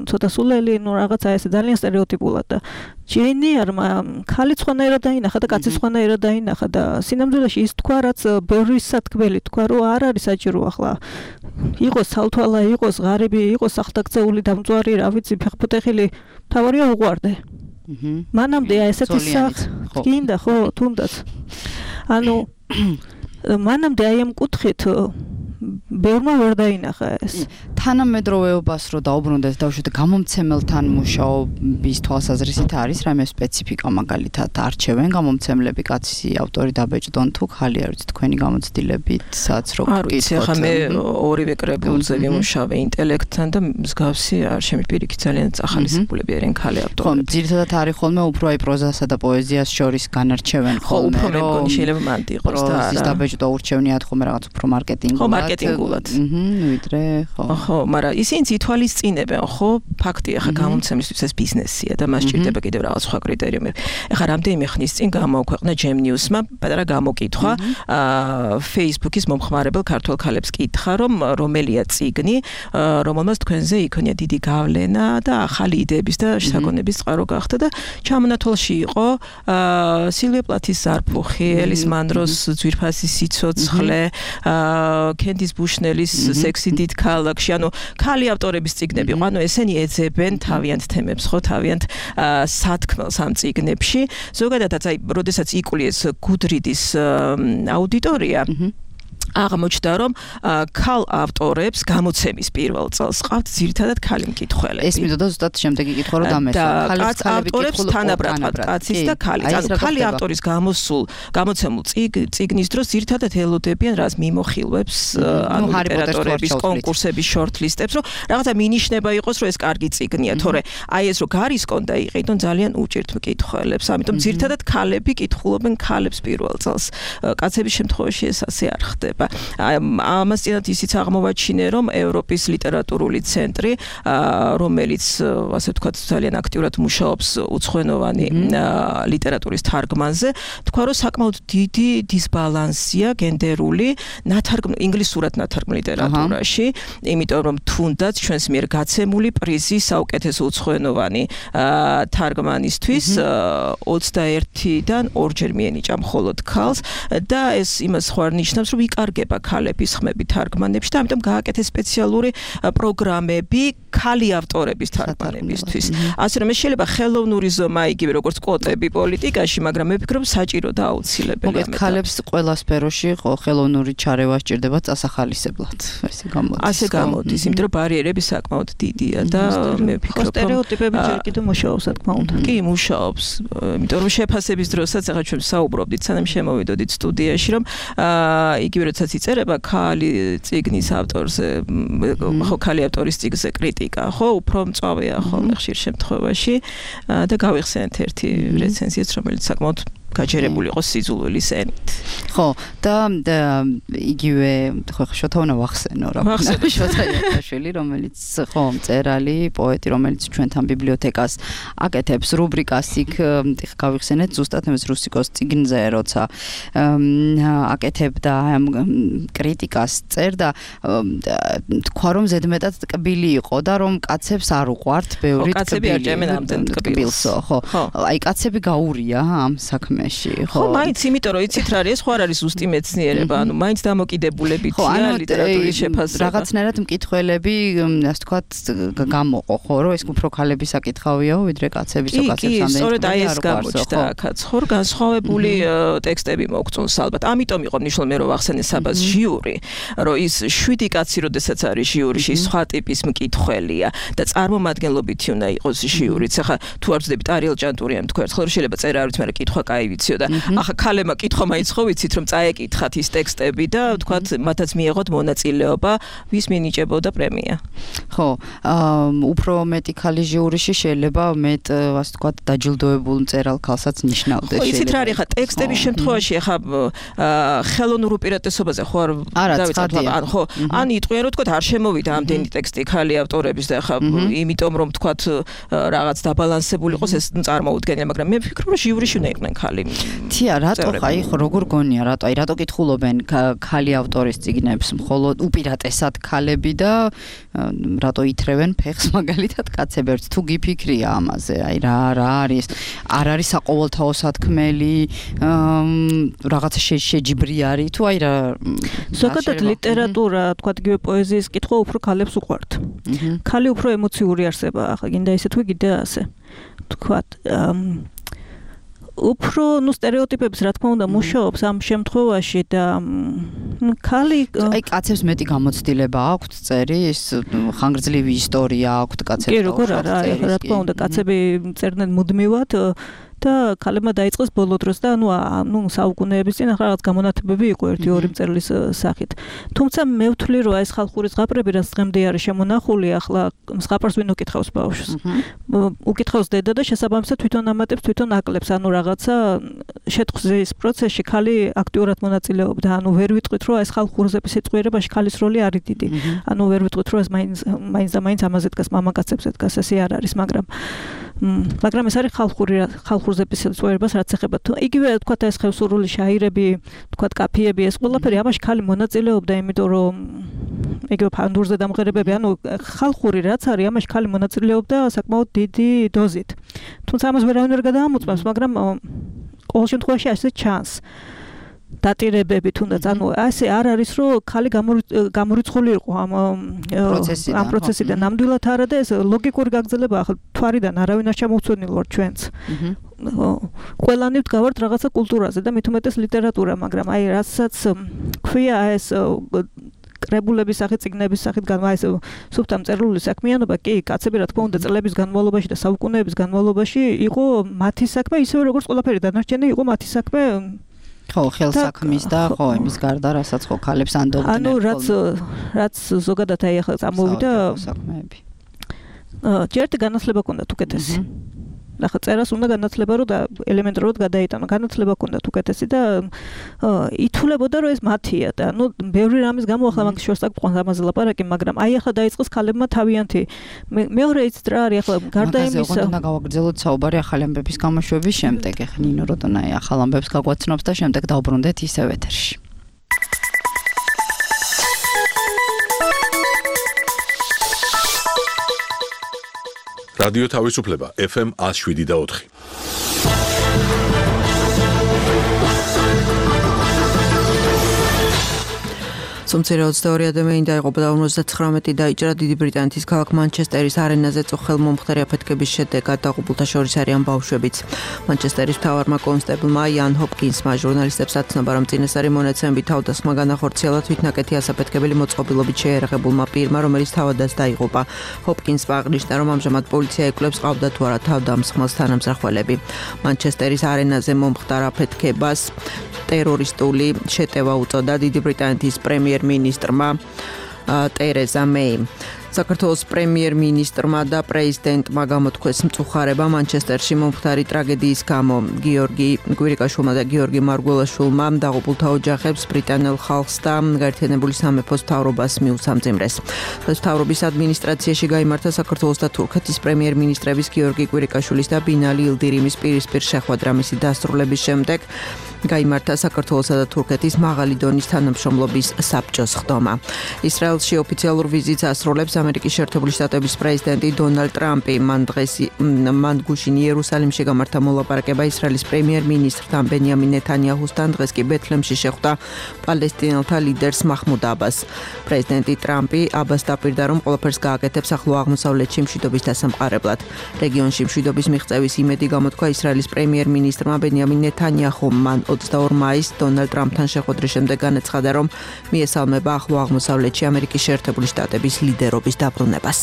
ცოტა სულელი ნუ რაღაცა ესე ძალიან სტერეოტიპულად და ჯენიერმა ქალი სხვანაირად დაინახა და კაცი სხვანაირად დაინახა და სინამდვილეში ის თქვა რაც ბევრი სათქმელი თქვა რომ არ არის საჭირო ახლა იყოს ცალთვალა იყოს ღარიბი იყოს ახტაკწეული დამწვარი რა ვიცი ფეხბურთელი თავარია უყვარდე მანამდე ესეთი სახ გინდა ხო თუნდაც ანუ მანამდე აი ამ კუთხით ბევრმა ვერ დაინახა ეს თანამედროვეობას რო დაუბრუნდეს დავუშვათ გამომცემელთან მუშაობის თვალსაზრისით არის რამე სპეციფიკა მაგალითად არჩევენ გამომცემლები კაცი ავტორი დაბეჭდონ თუ ხალი არის თქვენი გამოცდილებით სადაც რო გკითხოთ ახლა მე ორივე კრებულზე ვიმუშავე ინტელექტთან და მსგავსი არ შემიპირიქით ძალიან ახალისებულები არიან ქალი ავტორები ხო ძირითადად არის ხოლმე უფრო აი პროზასა და პოეზიას შორის განარჩევენ ხოლმე ხო უფრო მე მგონი შეიძლება მანდი იყოს და არა დაბეჭდა ურჩევნიათ ხოლმე რაღაც უფრო მარკეტინგულად მარკეტინგულად. აჰა, ვიდრე, ხო. ხო, მაგრამ ისინი ითვალისწინებენ, ხო, ფაქტია, ხა გამომცემლისთვის ეს ბიზნესია და მას სჭირდება კიდევ რაღაც სხვა კრიტერიუმები. ეხლა რამდენიმე ხნის წინ გამოაქვეყნა Gem News-მა პატარა გამოკითხვა, აა Facebook-ის მომხმარებელ ქართველ ქალებს კითხა, რომ რომელია წიგნი, რომელმაც თქვენზე იქონია დიდი გავლენა და ახალი იდეების და შეგონების წყარო გახდა და ჩამონათვალში იყო აა სილვია პლათის ზარფუხი, ელის მანდროს ძვირფასი სიცოცხლე, აა კენდის ბუშნელის სექსი დიდ ქალაქში, ანუ ქალი ავტორების წიგნები, ანუ ესენი ეძებენ თავიანთ თემებს, ხო, თავიანთ სათქმელს ამ წიგნებში. ზოგადადაც აი, როდესაც იკულიეს გუდრიდის აუდიტორია, აღმოჩნდა რომ ქალ ავტორებს გამოცემის პირველ წელს ყავთ ძირითადად ქალი მკითხველები. ეს მიდოდა ზუსტად შემდეგი კითხვა რომ დამესვა. ქალებს ავტორებს თანაბრად კაცის და ქალის. ანუ ქალი ავტორის გამოსულ გამოცემულ წიგნის დროს ძირითადად ელოდებიან რას მიმოხილვებს ანუ ლიტერატურების კონკურსების შორტლისტებს, რომ რაღაცა მინიშნება იყოს რომ ეს კარგი წიგნია, თორე აი ეს რომ გარისკონ და იყიდონ ძალიან უჭირთ მკითხველებს. ამიტომ ძირითადად ქალები კითხულობენ ქალებს პირველ წელს. კაცების შემთხვევაში ეს ასე არ ხდება. ამას წინათ ისიც აღმოვაჩინე, რომ ევროპის ლიტერატურული ცენტრი, რომელიც ასე ვთქვათ, ძალიან აქტიურად მუშაობს უცხოენოვანი ლიტერატურის თარგმანზე, თქვა, რომ საკმაოდ დიდი დისბალანსია გენდერული ნათარგმ ინგლისურად ნათარგმნ ლიტერატურაში, იმიტომ რომ თუნდაც ჩვენს მიერ გაცემული პრიზი საუკეთესო უცხოენოვანი თარგმანისთვის ოცდაერთიდან ორჯერ მიენიჭა მხოლოდ ქალს და ეს იმას ხო არ ნიშნავს, რომ იკარგება ქალების ხმები თარგმანებში და ამიტომ გააკეთეს სპეციალური პროგრამები ქალი ავტორების თარგმანებისთვის. ასე რომ ეს შეიძლება ხელოვნური ზომა იგივე როგორც კვოტები პოლიტიკაში, მაგრამ მე ვფიქრობ საჭირო და აუცილებელია. მოგეთ ქალებს ყველა სფეროში ხელოვნური ჩარევა სჭირდება წასახალისებლად. ესე გამოდის. ასე გამოდის, იმიტომ რომ ბარიერები საკმაოდ დიდია და მე ვფიქრობ სტერეოტიპები ჯერ კიდევ მუშაობს, რა თქმა უნდა. კი, მუშაობს. იმიტომ რომ შეფასების დროსაც ახლა ჩვენ საუბრობდით, სანამ შემოვიდოდით სტუდიაში, რომ იგივე როდესაც იწერება ქალი წიგნის ავტორზე, ხო, ქალი ავტორის წიგნზე კრიტიკა, ხო, უფრო მწვავეა ხოლმე ხშირ შემთხვევაში და გავიხსენეთ ერთი რეცენზიაც, რომელიც საკმაოდ გაჯერებული იყოს სიძულვილის ენით. ხო, და იგივე ხო შოთა უნდა ვახსენო რა. შოთა იაკაშვილი, რომელიც ხო მწერალი, პოეტი, რომელიც ჩვენთან ბიბლიოთეკას აკეთებს რუბრიკას იქ გავიხსენეთ ზუსტად ამის რუსიკოს წიგნზე, როცა აკეთებდა ამ კრიტიკას წერდა, თქვა რომ ზედმეტად ტკბილი იყო და რომ კაცებს არ უყვართ ბევრი ტკბილს, ხო. აი კაცები გაურია ამ საქმეში, ხო. ხო, მაინც იმიტომ რომ იცით რა არის, ხო არ არის ზუსტი მეცნიერება, ანუ მაინც დამოკიდებულებითია ლიტერატურის შეფასება. რაღაცნაირად მკითხველები, ასე ვთქვათ, გამოყო, ხო, რომ ეს უფრო ქალების საკითხავიაო, ვიდრე კაცების ო კაცებს ამდენი. კი, სწორედ აი ეს გამოჩნდა აქაც, ხო, განსხვავებული ტექსტები მოგწონს ალბათ. ამიტომ იყო მნიშვნელოვანი მე რომ ვახსენე საბას ჟიური, რომ ის შვიდი კაცი როდესაც არის ჟიურიში, სხვა ტიპის მკითხველია და წარმომადგენლობითი უნდა იყოს ჟიურიც. ახლა თუ არ ვწდებით არიელ ჭანტურიამ თქვა ერთხელ რომ შეიძლება წერა არ ვიცი, მაგრამ კითხვა კაი ვიციო და ახლა ქალებმა კითხვა მაინც ხო ვიცით რომ წაეკითხათ ის ტექსტები და თქვათ მათაც მიიღოთ მონაწილეობა, ვის მინიჭებოდა პრემია. ხო, უფრო მეტი ქალი ჟიურიში შეიძლება მეტ, ასე ვთქვათ, დაჯილდოებულ მწერალ ქალსაც ნიშნავდეს. ხო, იცით რა არის ახლა ტექსტების შემთხვევაში ახლა ხელოვნურ უპირატესობაზე ხო არ დავიწყოთ, ან ხო, ან იტყვიან რომ თქვათ არ შემოვიდა ამდენი ტექსტი ქალი ავტორების და ახლა იმიტომ რომ თქვათ რაღაც დაბალანსებული იყოს ეს წარმოუდგენია, მაგრამ მე ვფიქრობ რომ ჟიურიში უნდა იყვნენ ქალი. თია, რატო ხაი ხო როგორ გონია, რატო აი რატო კითხულობენ ქალი ავტორის წიგნებს მხოლოდ უპირატესად ქალები და რატო ითრევენ ფეხს მაგალითად კაცები? ერთ თუ გიფიქრია ამაზე, აი რა რა არის, არ არის საყოველთაო სათქმელი, რაღაცა შეჯიბრი არის თუ აი რა ზოგადად ლიტერატურა, თქვათ იგივე პოეზიის კითხვა უფრო ქალებს უყვართ. ქალი უფრო ემოციური არსებაა, ახლა გინდა ისე თუ გინდა ასე. თქვათ უფრო ნუ სტერეოტიპებს რა თქმა უნდა მუშაობს ამ შემთხვევაში და ქალი აი კაცებს მეტი გამოცდილება აქვთ წერის, ხანგრძლივი ისტორია აქვთ კაცებს. კი, როგორ არა, რა თქმა უნდა კაცები წერდნენ მუდმივად და ქალებმა დაიწყეს ბოლო დროს და ანუ ნუ საუკუნეების წინ ახლა რაღაც გამონათებები იყო ერთი ორი მწერლის სახით. თუმცა მე ვთვლი რომ ეს ხალხური ზღაპრები რაც დღემდე არის შემონახული, ახლა ზღაპარს ვინ უკითხავს ბავშვს? უკითხავს დედა და შესაბამისად თვითონ ამატებს, თვითონ აკლებს, ანუ რაღაცა შეთხვზის პროცესში ქალი აქტიურად მონაწილეობდა. ანუ ვერ ვიტყვით რომ ეს ხალხურზების სიტყვიერებაში ქალის როლი არის დიდი. ანუ ვერ ვიტყვით რომ ეს მაინც მაინც და მაინც ამაზე დგას, მამაკაცებზე დგას, ესე არ არის, მაგრამ მაგრამ ეს არის ხალხური ხალხურზების სიტყვიერებას რაც ეხება. იგივე თქვათ ეს ხევსურული შაირები, თქვათ კაფიები, ეს ყველაფერი ამაში ქალი მონაწილეობდა, იმიტომ რომ იგივე ფანდურზე დამღერებები, ანუ ხალხური რაც არის, ამაში ქალი მონაწილეობდა საკმაოდ დიდი დოზით. თუმცა ამას ვერავინ ვერ გადაამოწმებს, მაგრამ ყოველ შემთხვევაში ასე ჩანს. დატირებები თუნდაც, ანუ ასე არ არის რომ ქალი გამორიცხული იყო ამ ამ პროცესიდან ნამდვილად არა და ეს ლოგიკური გაგრძელებაა, ახლა თვარიდან არავინ არ ჩამოვცვენილ ვარ ჩვენც. ყველანი ვდგავართ რაღაცა კულტურაზე და მით უმეტეს ლიტერატურა, მაგრამ აი რასაც ქვია ეს კრებულების სახით, წიგნების სახით განმაეს სუფთა მწერლული საქმიანობა, კი, კაცები რა თქმა უნდა წლების განმავლობაში და საუკუნეების განმავლობაში იყო მათი საქმე, ისევე როგორც ყველაფერი დანარჩენი იყო მათი საქმე. ხო, ხელსაქმის და ხო, იმის გარდა, რასაც ხო ქალებს ანდობდნენ. ანუ რაც რაც ზოგადად აი ახლა წამოვიდა საქმეები. ჯერ განათლება ჰქონდათ უკეთესი. ახლა წერას უნდა განათლება რომ და ელემენტარულად გადაიტანო. განათლება ჰქონდათ უკეთესი და ითულებოდა რომ ეს მათია და ნუ ბევრი რამის გამო ახლა მაგ შორს აკყვანს ამაზე ლაპარაკი, მაგრამ აი ახლა დაიწყეს ქალებმა თავიანთი. მეორე იცით რა არის ახლა გარდა იმისა. მაგაზე უნდა გავაგრძელოთ საუბარი ახალი ამბების გამოშვების შემდეგ. ახლა ნინო როდონაი ახალ ამბებს გაგვაცნობს და შემდეგ დავბრუნდეთ ისევ ეთერში. რადიო თავისუფლება ეფ ემ one oh seven და four. სომცირე ოცდაორი ადამიანი დაიღუპა და ორმოცდათხრამეტი დაიჭრა დიდი ბრიტანეთის ქალაქ მანჩესტერის არენაზე წუხელმომხდარი აფეთქების შედეგად დაღუპულთა შორის არიან ბავშვებიც. მანჩესტერის მთავარმა კონსტაბლმა იან ჰოპკინსმა ჟურნალისტებს აცნობა, რომ წინასწარი მონაცემებით თავდასხმა განახორციელა თვითნაკეთი ასაფეთქებელი მოწყობილობით შეერაღებულმა პირმა, რომელიც თავადაც დაიღუპა. ჰოპკინსმა აღნიშნა, რომ ამჟამად პოლიცია ეკვლევს ყავდა თუ არა თავდამსხმელს თანამსახველები. მანჩესტერის არენაზე მომხდარ აფეთქებას ტერორისტული შეტევა უწოდა დიდი ბრიტანეთის პრემიერ მინისტრმა ტერეზა მეიმ. საქართველოს პრემიერ-მინისტრმა და პრეზიდენტმა გამოთქვეს მწუხარება მანჩესტერში მომხდარი ტრაგედიის გამო. გიორგი კვირიკაშვილმა და გიორგი მარგველაშვილმა დაღუპულთა ოჯახებს, ბრიტანელ ხალხს და გაერთიანებული სამეფოს მთავრობას მიუსამძიმრეს. მთავრობის ადმინისტრაციაში გაიმართა საქართველოს და თურქეთის პრემიერ-მინისტრების გიორგი კვირიკაშვილის და ბინალი ილდირიმის პირისპირ შეხვედრა მისი დასრულების შემდეგ. გაიმართა საქართველოსა და თურქეთის მაღალი დონის თანამშრომლობის საბჭოს ხდომა. ისრაელში ოფიციალურ ვიზიტს ასრულებს ამერიკის შეერთებული შტატების პრეზიდენტი დონალდ ტრამპი. მან დღეს მან გუშინ იერუსალიმში გამართა მოლაპარაკება ისრაელის პრემიერ-მინისტრთან ბენიამინ ნეთანიაჰუსთან. დღეს კი ბეთლემში შეხვდა პალესტინელთა ლიდერს მაჰმუდ აბას. პრეზიდენტი ტრამპი აბას დაპირდა, რომ ყველაფერს გააკეთებს ახლო აღმოსავლეთში მშვიდობის დასამყარებლად. რეგიონში მშვიდობის მიღწევის იმედი გამოთქვა ისრაელის პრემიერ-მინისტრმა ბენიამინ ნეთანიაჰუმ. მან ოცდაორ მაისს დონალდ ტრამპთან შეხვედრის შემდეგ განაცხადა, რომ მიესალმება ახლო აღმოსავლეთში ამერიკის შეერთებული შტატების ლიდერობის დაბრუნებას.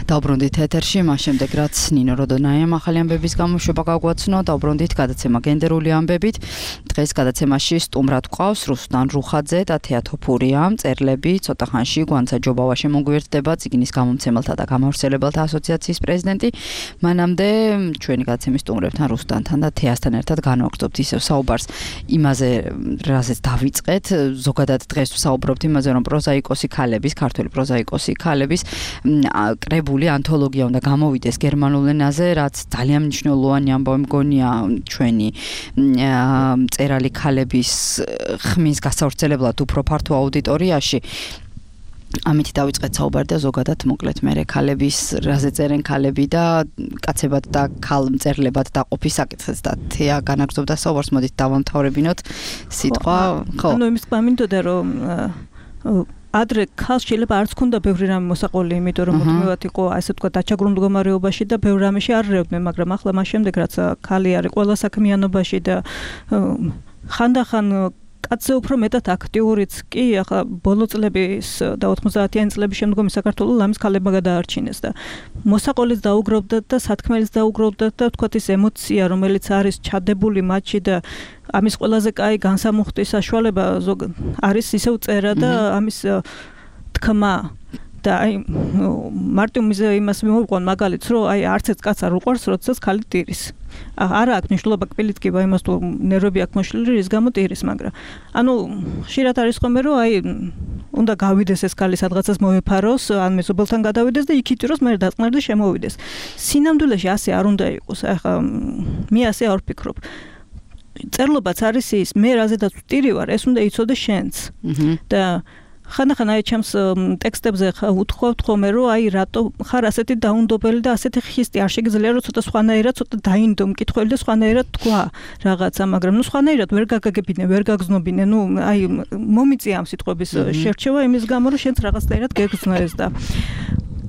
დავბრუნდით ეთერში, მას შემდეგ რაც ნინო როდონაიამ ახალი ამბების გამოშვება გაგვაცნო, დავბრუნდით გადაცემა გენდერული ამბებით. დღეს გადაცემაში სტუმრად გვყავს რუსლან რუხაძე და თეატოფურია, მწერლები, ცოტა ხანში გვანცა ჯობავა შემოგვიერთდება, წიგნის გამომცემელთა და გამავრცელებელთა ასოციაციის პრეზიდენტი. მანამდე ჩვენი გადაცემის სტუმრებთან რუსლანთან და თეასთან ერთად განვაგრძობთ ისევ საუბარს იმაზე, რაზეც დავიწყეთ. ზოგადად დღეს ვსაუბრობთ იმაზე, რომ პროზაიკოსი ქალების, ქართველი პროზაიკოსი ქალების კრებული ანთოლოგია უნდა გამოვიდეს გერმანულ ენაზე, რაც ძალიან მნიშვნელოვანი ამბავი მგონია ჩვენი მწერალი ქალების ხმის გასავრცელებლად უფრო ფართო აუდიტორიაში. ამით დავიწყეთ საუბარი და ზოგადად მოკლედ მე ქალების რაზე წერენ ქალები და კაცებად და ქალ მწერლებად დაყოფის საკითხს და თეა განაგრძობდა საუბარს. მოდით დავამთავრებინოთ სიტყვა. ხო. ანუ იმის გვამინდოდა რომ ადრე ქალს შეიძლება არც ქონდა ბევრი რამე მოსაყოლი, იმიტომ რომ მუდმივად იყო ასე ვთქვათ დაჩაგრულ მდგომარეობაში და ბევრ რამეში არ რევდნენ, მაგრამ ახლა მას შემდეგ რაც ქალი არის ყველა საქმიანობაში და ხანდახან კაცზე უფრო მეტად აქტიურიც კი, ახლა ბოლო წლების და ოთხმოცდაათიანი წლების შემდგომი საქართველოს ამის ქალებმა გადაარჩინეს და მოსაყოლიც დაუგროვდათ და სათქმელიც დაუგროვდათ და ვთქვათ ის ემოცია, რომელიც არის ჩადებული მათში და ამის ყველაზე კაი განსამუხტვის საშუალება არის ისევ წერა და ამის თქმა და აი მარტო მიზე იმას მოვიყვან მაგალითს, რომ აი არც ერთ კაცს არ უყვარს, როდესაც ქალი ტირის. არა აქვს მნიშვნელობა კბილით კი იმას თუ ნერვები აქვს მოშლილი, რის გამო ტირის, მაგრამ ანუ ხშირად არის ხომ რომ აი უნდა გავიდეს ეს ქალი სადღაცას მოეფაროს, ან მეზობელთან გადავიდეს და იქ იტიროს, მე დაწყნარდეს შემოვიდეს. სინამდვილეში ასე არ უნდა იყოს. ახლა მე ასე არ ვფიქრობ. წერლობაც არის ის, მე რაზედაც ვტირი ვარ, ეს უნდა იცოდე შენც. და ხანდახან აი ჩემს ტექსტებზე უთხოვთ ხოლმე, რომ აი რატო ხარ ასეთი დაუნდობელი და ასეთი ხისტი, არ შეგიძლია რომ ცოტა სხვანაირად ცოტა დაინდო მკითხველი და სხვანაირად თქვა რაღაცა, მაგრამ ნუ სხვანაირად ვერ გაგაგებინე, ვერ გაგზნობინე, ნუ აი მომიწია ამ სიტყვების შერჩევა იმის გამო, რომ შენც რაღაცნაირად გეგრძნო ეს და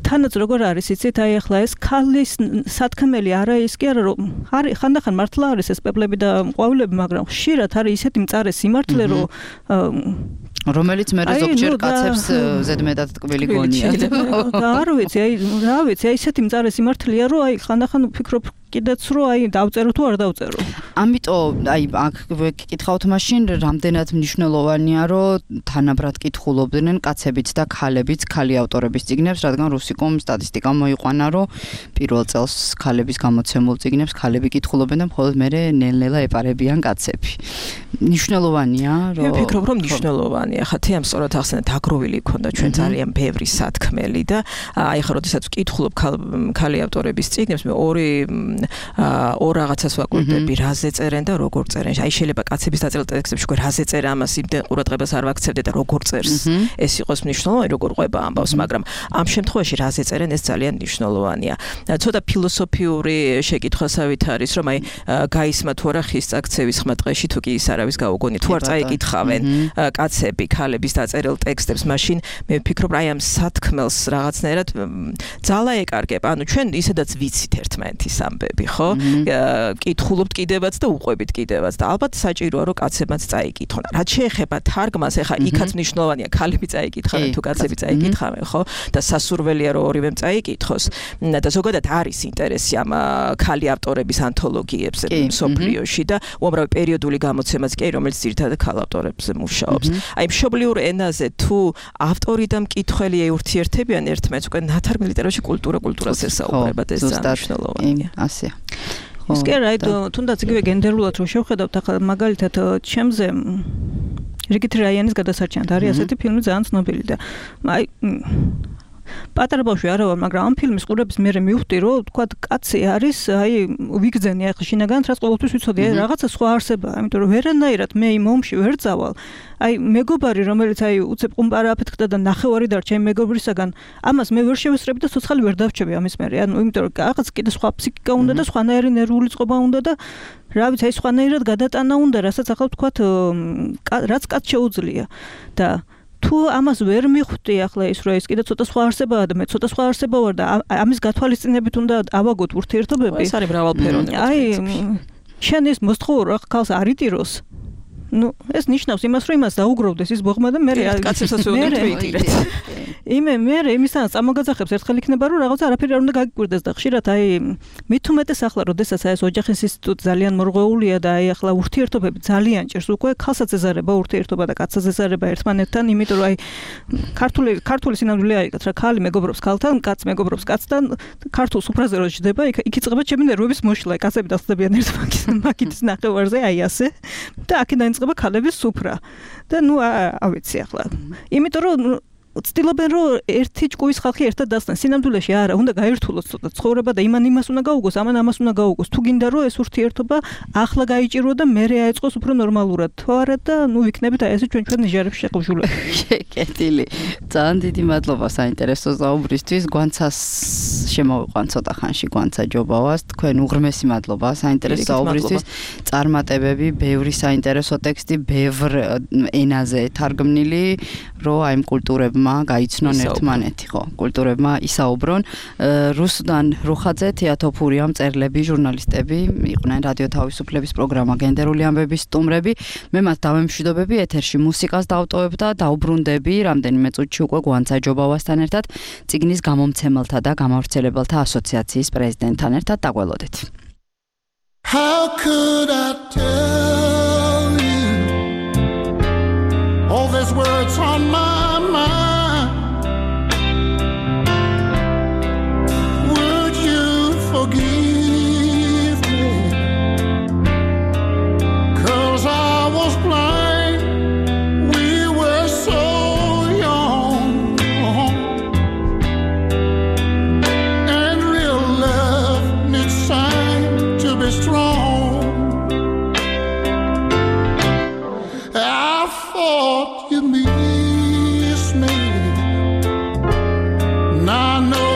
თანაც როგორ არის იცით, აი ახლა ეს ქალის სათქმელი არა ის კი არა რომ არის ხანდახან მართლა არის ეს პეპლები და ყვავილები, მაგრამ ხშირად არის ისეთი მწარე სიმართლე, რომ რომელიც მე ზოგჯერ კაცებს ზედმეტად ტკბილი გონია. და არ ვიცი, აი რა ვიცი, აი ისეთი მწარე სიმართლეა, რომ აი ხანდახან ვფიქრობ კიდეც რომ აი დავწერო თუ არ დავწერო. ამიტომ აი აქ გეკითხავთ მაშინ რამდენად მნიშვნელოვანია რომ თანაბრად კითხულობდნენ კაცებიც და ქალებიც ქალი ავტორების წიგნებს, რადგან რუსიკომ სტატისტიკა მოიყვანა რომ პირველ წელს ქალების გამოცემულ წიგნებს ქალები კითხულობენ და მხოლოდ მერე ნელ-ნელა ეპარებიან კაცები. მნიშვნელოვანია რომ მე ვფიქრობ რომ მნიშვნელოვანია. ხა თეამ სწორად ახსენეთ აგროვილი ქონდა ჩვენ ძალიან ბევრი სათქმელი და აი ხა როდესაც ვკითხულობ ქალი ავტორების წიგნებს მე ორი ორ რაღაცას ვაკვირდები, რაზე წერენ და როგორ წერენ. აი შეიძლება კაცების დაწერილ ტექსტებში უკვე რაზე წერა ამას იმდენ ყურადღებას არ ვაქცევდე და როგორ წერს. ეს იყოს მნიშვნელოვანი, როგორ ყვება ამბავს, მაგრამ ამ შემთხვევაში რაზე წერენ ეს ძალიან მნიშვნელოვანია. ცოტა ფილოსოფიური შეკითხვასავით არის, რომ აი გაისმა თუ არა ხის წაქცევის ხმა ტყეში თუ კი ის არავის გაუგონი, თუ არ წაიკითხავენ კაცები ქალების დაწერილ ტექსტებს, მაშინ მე ვფიქრობ აი ამ სათქმელს რაღაცნაირად ძალა ეკარგება. ანუ ჩვენ ისედაც ვიცით ერთმანეთის ამბები. ვუყურები, ხო? კითხულობთ კიდევაც და უყვებით კიდევაც და ალბათ საჭიროა რომ კაცებმაც წაიკითხონ. რაც შეეხება თარგმანს, ეხა იქაც მნიშვნელოვანია, ქალები წაიკითხავენ თუ კაცები წაიკითხავენ, ხო? და სასურველია რომ ორივემ წაიკითხოს. და ზოგადად არის ინტერესი ამ ქალი ავტორების ანთოლოგიებზე მსოფლიოში და უამრავი პერიოდული გამოცემაც კი რომელიც ძირითადად ქალ ავტორებზე მუშაობს. აი მშობლიურ ენაზე თუ ავტორი და მკითხველი ურთიერთებიან ერთმანეთს, უკვე ნათარგმნი ლიტერატურაში კულტურა კულტურას ესაუბრებად ეს მნიშვნელოვანია. ასეა. ის კი რა, თუნდაც იგივე გენდერულად რო შევხედავთ, ახლა მაგალითად ჩემზე რიგითი რაიანის გადასარჩენად არის ასეთი ფილმი ძალიან ცნობილი და აი პატარა ბავშვი არა ვარ, მაგრამ ამ ფილმის ყურების მერე მივხვდი, რომ თქვა კაცი არის, აი ვიგზენია ახლა შინაგანად რაც ყოველთვის ვიცოდი, აი რაღაცა სხვა არსებაა, იმიტომ რომ ვერანაირად მე იმ ომში ვერ წავალ. აი მეგობარი, რომელიც აი უცებ ყუმპარა აფეთქდა და ნახევარი დარჩა იმ მეგობრისაგან, ამას მე ვერ შევესწრები და ცოცხალი ვერ დავრჩები ამის მერე. ანუ იმიტომ რომ რაღაც კიდე სხვა ფსიქიკა უნდა და სხვანაირი ნერვული წყობა უნდა და რა ვიცი, აი სხვანაირად გადატანა უნდა, რასაც ახლა ვთქვათ, რაც კაც შეუძლია და თუ ამას ვერ მიხვდი ახლა ის რომ ეს კიდე ცოტა სხვა არსებაა და მე ცოტა სხვა არსება ვარ და ამის გათვალისწინებით უნდა ავაგოთ ურთიერთობები. ეს არის მრავალფეროვანი. აი შენ ეს მოსთხოვრო ხალხს არიტიროს. ну ეს ნიშნავს იმას რომ იმას დაუგროვდეს ის ბოღმა და მე კაცებსაც უნდა თვითირეთ. იმე მე იმისთან წამოგაძახებს ერთხელ იქნება რომ რაღაცა არაფერი არ უნდა გაგიკვირდეს და ხშირად აი მით უმეტეს ახლა როდესაც აი ეს ოჯახის ინსტიტუტი ძალიან მორღვეულია და აი ახლა ურთიერთობები ძალიან ჭირს უკვე ქალსაც ეზარება ურთიერთობა და კაცსაც ეზარება ერთმანეთთან იმიტომ რომ აი ქართული ქართული სინამდვილე აიგეთ რა ქალი მეგობრობს ქალთან კაც მეგობრობს კაცთან ქართულ სუფრაზე რო ჯდება იქ იქ იწყება ჩემი ნერვების მოშლა კაცები დასწდებიან ერთმანეთის მაგითის ნახევარზე აი ასე და აქედან იწყება ქალების სუფრა და ნუ ავიცი ახლა იმიტომ რომ ცდილობენ რომ ერთი ჭკუის ხალხი ერთად დასწრენ სინამდვილეში არა უნდა გაერთულოს ცოტა ცხოვრება და იმან იმას უნდა გაუგოს ამან ამას უნდა გაუგოს თუ გინდა რომ ეს ურთიერთობა ახლა გაიჭირო და მერე აეწყოს უფრო ნორმალურად თუ არა და ნუ ვიქნებით აი ესე ჩვენ ჩვენ ნიჟარებში შეყუჟულები კეთილი ძალიან დიდი მადლობა საინტერესო საუბრისთვის გვანცას შემოვიყვან ცოტა ხანში გვანცა ჯობავას თქვენ უღრმესი მადლობა საინტერესო საუბრისთვის წარმატებები ბევრი საინტერესო ტექსტი ბევრ ენაზე თარგმნილი რო აი კულტურებმა გაიცნონ ერთმანეთი ხო კულტურებმა ისაუბრონ რუსუდან რუხაძე თეატოფურია მწერლები ჟურნალისტები იყვნენ რადიო თავისუფლების პროგრამა გენდერული ამბების სტუმრები მე მათ დავემშვიდობები ეთერში მუსიკას დავტოვებ და დაუბრუნდები რამდენიმე წუთში უკვე გვანცა ჯობავასთან ერთად წიგნის გამომცემელთა და გამავრცელებელთა ასოციაციის პრეზიდენტთან ერთად დაგველოდეთ How could I tell you all these words on my mind Would you forgive me Cause I was blind We were so young And real love needs time to be strong I thought you miss me Now I know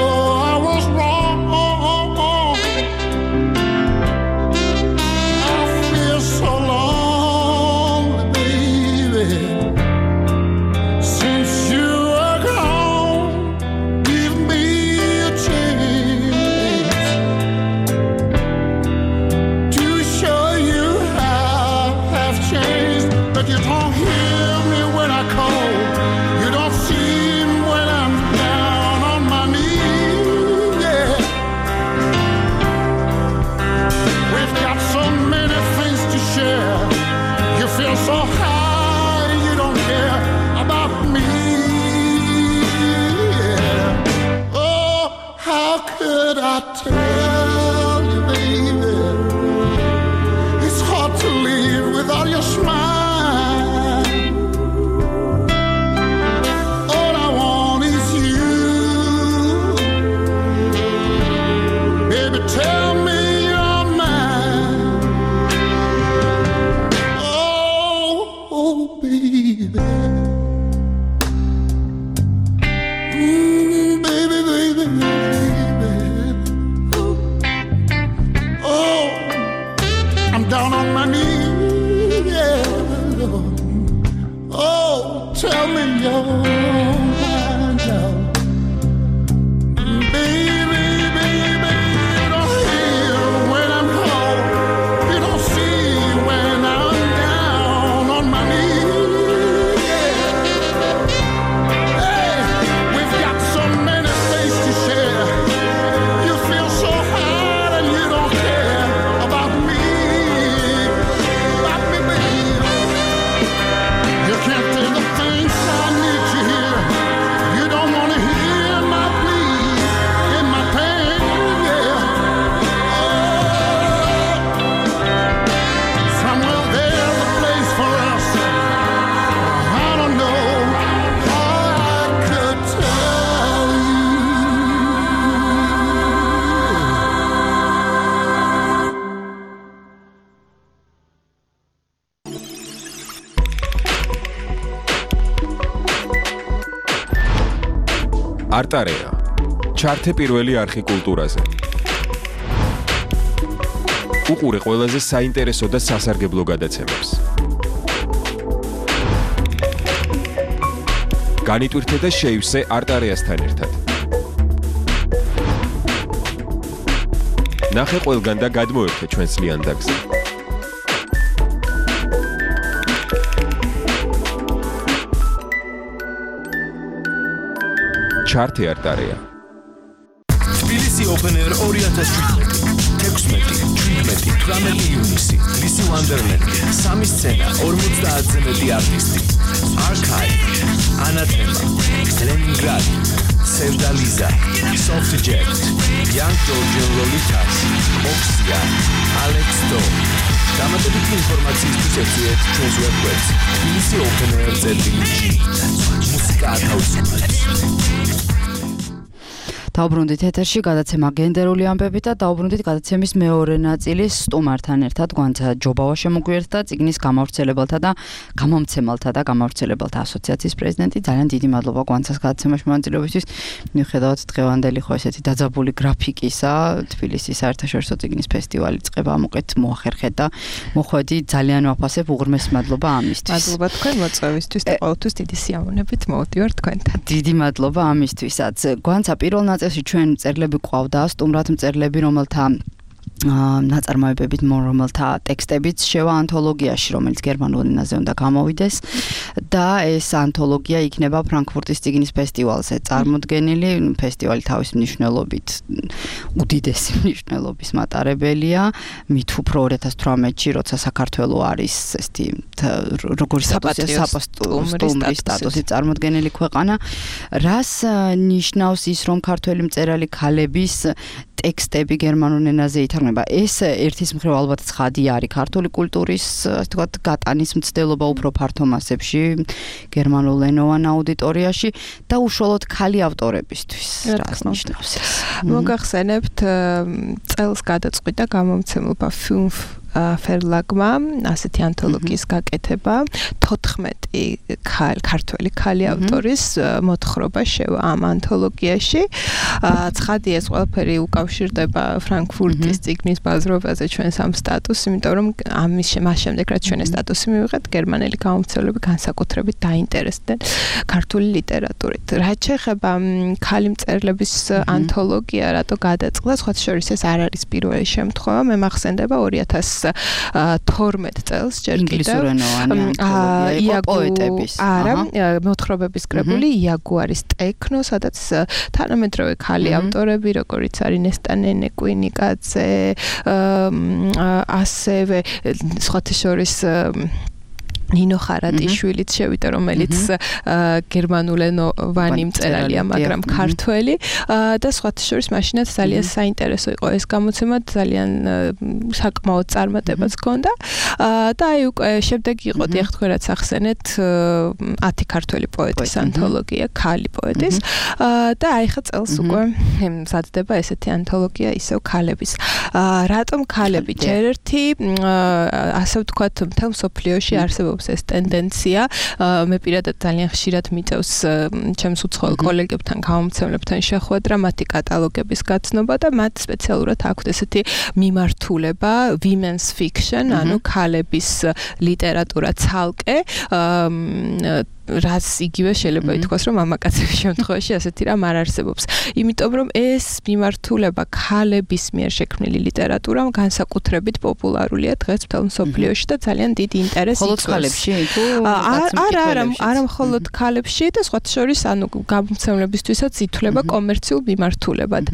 I was wrong I feel so lonely, baby Since you are gone Give me a chance To show you how I've changed But you don't hear me when I call You don't see me when I'm down on my knees yeah. We've got so many things to share You feel so high You don't care about me yeah. Oh, how could I tell you, baby It's hard to live without your smile All I want is you Baby, tell me you're mine Oh, oh baby Mm, baby, baby, baby Oh, I'm down on my knees, yeah. Oh, tell me you're mine now. Baby, baby, you don't hear არტარეა. ჩართე პირველი არხი კულტურაზე. უყურე ყველაზე საინტერესო და სასარგებლო გადაცემებს. განიტვირთე და შეივსე არტარეასთან ერთად. ნახე ყველგან და გადმოერთე ჩვენს ლიანდაგზე. ჩართე არტარეა. თბილისი Open Air ორი ათას შვიდმეტი, თექვსმეტი, შვიდმეტი, თვრამეტი ივნისი, ლისი ვანდერლენდი, სამი სცენა, ორმოცდაათზე მეტი არტისტი, Archive, Anathema, Leningrad, Sevdaliza, Soft Jet, Young Georgian Lolitas, Oxia, Alex Do. დამატებითი ინფორმაციისთვის ეწვიეთ ჩვენს ვებგვერდს თბილისი Open Air ზეტი ჯი. მუსიკა ათავისუფლებს. დაუბრუნდით ეთერში გადაცემა გენდერული ამბები და დაუბრუნდით გადაცემის მეორე ნაწილის სტუმართან ერთად გვანცა ჯობავა შემოგვიერთდა წიგნის გამავრცელებელთა და გამომცემელთა და გამავრცელებელთა ასოციაციის პრეზიდენტი. ძალიან დიდი მადლობა გვანცას გადაცემაში მონაწილეობისთვის. მიუხედავად დღევანდელი ხო ესეთი დაძაბული გრაფიკისა, თბილისის საერთაშორისო წიგნის ფესტივალი წყება ამოყეთ მოახერხეთ და მოხვედი ძალიან ვაფასებ უღრმესი მადლობა ამისთვის. მადლობა თქვენ მოწვევისთვის და ყოველთვის დიდი სიამოვნებით მოვდივარ თქვენთან. დიდი მადლობა ამისთვისაც. გვანცა პირველ ნაწილში ჩვენ მწერლები ყავდა, სტუმრად მწერლები, რომელთა ნაწარმოებებით, რომელთა ტექსტებიც შევა ანთოლოგიაში, რომელიც გერმანულ ენაზე უნდა გამოვიდეს და ეს ანთოლოგია იქნება ფრანკფურტის წიგნის ფესტივალზე წარმოდგენილი. ფესტივალი თავის მნიშვნელობით უდიდესი მნიშვნელობის მატარებელია. მით უფრო ორი ათას თვრამეტში, როცა საქართველო არის ესეთი როგორი საპატიო სტატუსით წარმოდგენილი ქვეყანა, რას ნიშნავს ის, რომ ქართველი მწერალი ქალების ტექსტები გერმანულ ენაზე ითარგმნება. ეს ერთის მხრივ ალბათ ცხადი არის ქართული კულტურის, ასე ვთქვათ, გატანის მცდელობა უფრო ფართო მასებში გერმანულენოვან აუდიტორიაში და უშუალოდ ქალი ავტორებისთვის. რას ნიშნავს ეს? მოგახსენებთ წელს გადაწყვიტა გამომცემლობა Fünf Verlagმა ასეთი ანთოლოგიის გაკეთება. თოთხმეტი ქართველი ქალი ავტორის მოთხრობა შევა ამ ანთოლოგიაში. ცხადია ეს ყველაფერი უკავშირდება ფრანკფურტის წიგნის ბაზრობაზე ჩვენს ამ სტატუსს, იმიტომ რომ ამის მას შემდეგ რაც ჩვენ ეს სტატუსი მივიღეთ, გერმანელი გამომცემლები განსაკუთრებით დაინტერესდნენ ქართული ლიტერატურით. რაც შეეხება ქალი მწერლების ანთოლოგია, რატო გადაწყდა, სხვათა შორის ეს არ არის პირველი შემთხვევა. მე მახსენდება ორი ათას თორმეტ წელს ჯერ კიდევ ინგლისურენოვანი პოეტების არა მოთხრობების კრებული იაგუარის ტექნო, სადაც თანამედროვე ქალი ავტორები, როგორიც არის ნესტა ნენეკვინიკაძე, ასევე სხვათა შორის ნინო ხარატიშვილიც შევიდა, რომელიც გერმანულენოვანი მწერალია, მაგრამ ქართველი და სხვათა შორის მაშინაც ძალიან საინტერესო იყო ეს გამოცემა, ძალიან საკმაოდ წარმატებაც ჰქონდა და აი უკვე შემდეგ იყო დიახ თქვენ რაც ახსენეთ ათი ქართველი პოეტის ანთოლოგია, ქალი პოეტის და აი ხა წელს უკვე მზადდება ესეთი ანთოლოგია ისევ ქალების. რატომ ქალები? ჯერ ერთი ასე ვთქვათ მთელ მსოფლიოში არსებობს ეს ტენდენცია. მე პირადად ძალიან ხშირად მიწევს ჩემს უცხოელ კოლეგებთან, გამომცემლებთან შეხვედრა, მათი კატალოგების გაცნობა და მათ სპეციალურად აქვთ ესეთი მიმართულება women's fiction, ანუ ქალების ლიტერატურა ცალკე. რაც იგივე შეიძლება ითქვას, რომ მამაკაცების შემთხვევაში ასეთი რამ არ არსებობს. იმიტომ რომ ეს მიმართულება ქალების მიერ შექმნილი ლიტერატურამ განსაკუთრებით პოპულარულია დღეს მთელ მსოფლიოში და ძალიან დიდი ინტერესი იწვევს. მხოლოდ ქალებში თუ არა, არა, არა მხოლოდ ქალებში და სხვათა შორის, ანუ გამომცემლებისთვისაც ითვლება კომერციულ მიმართულებად.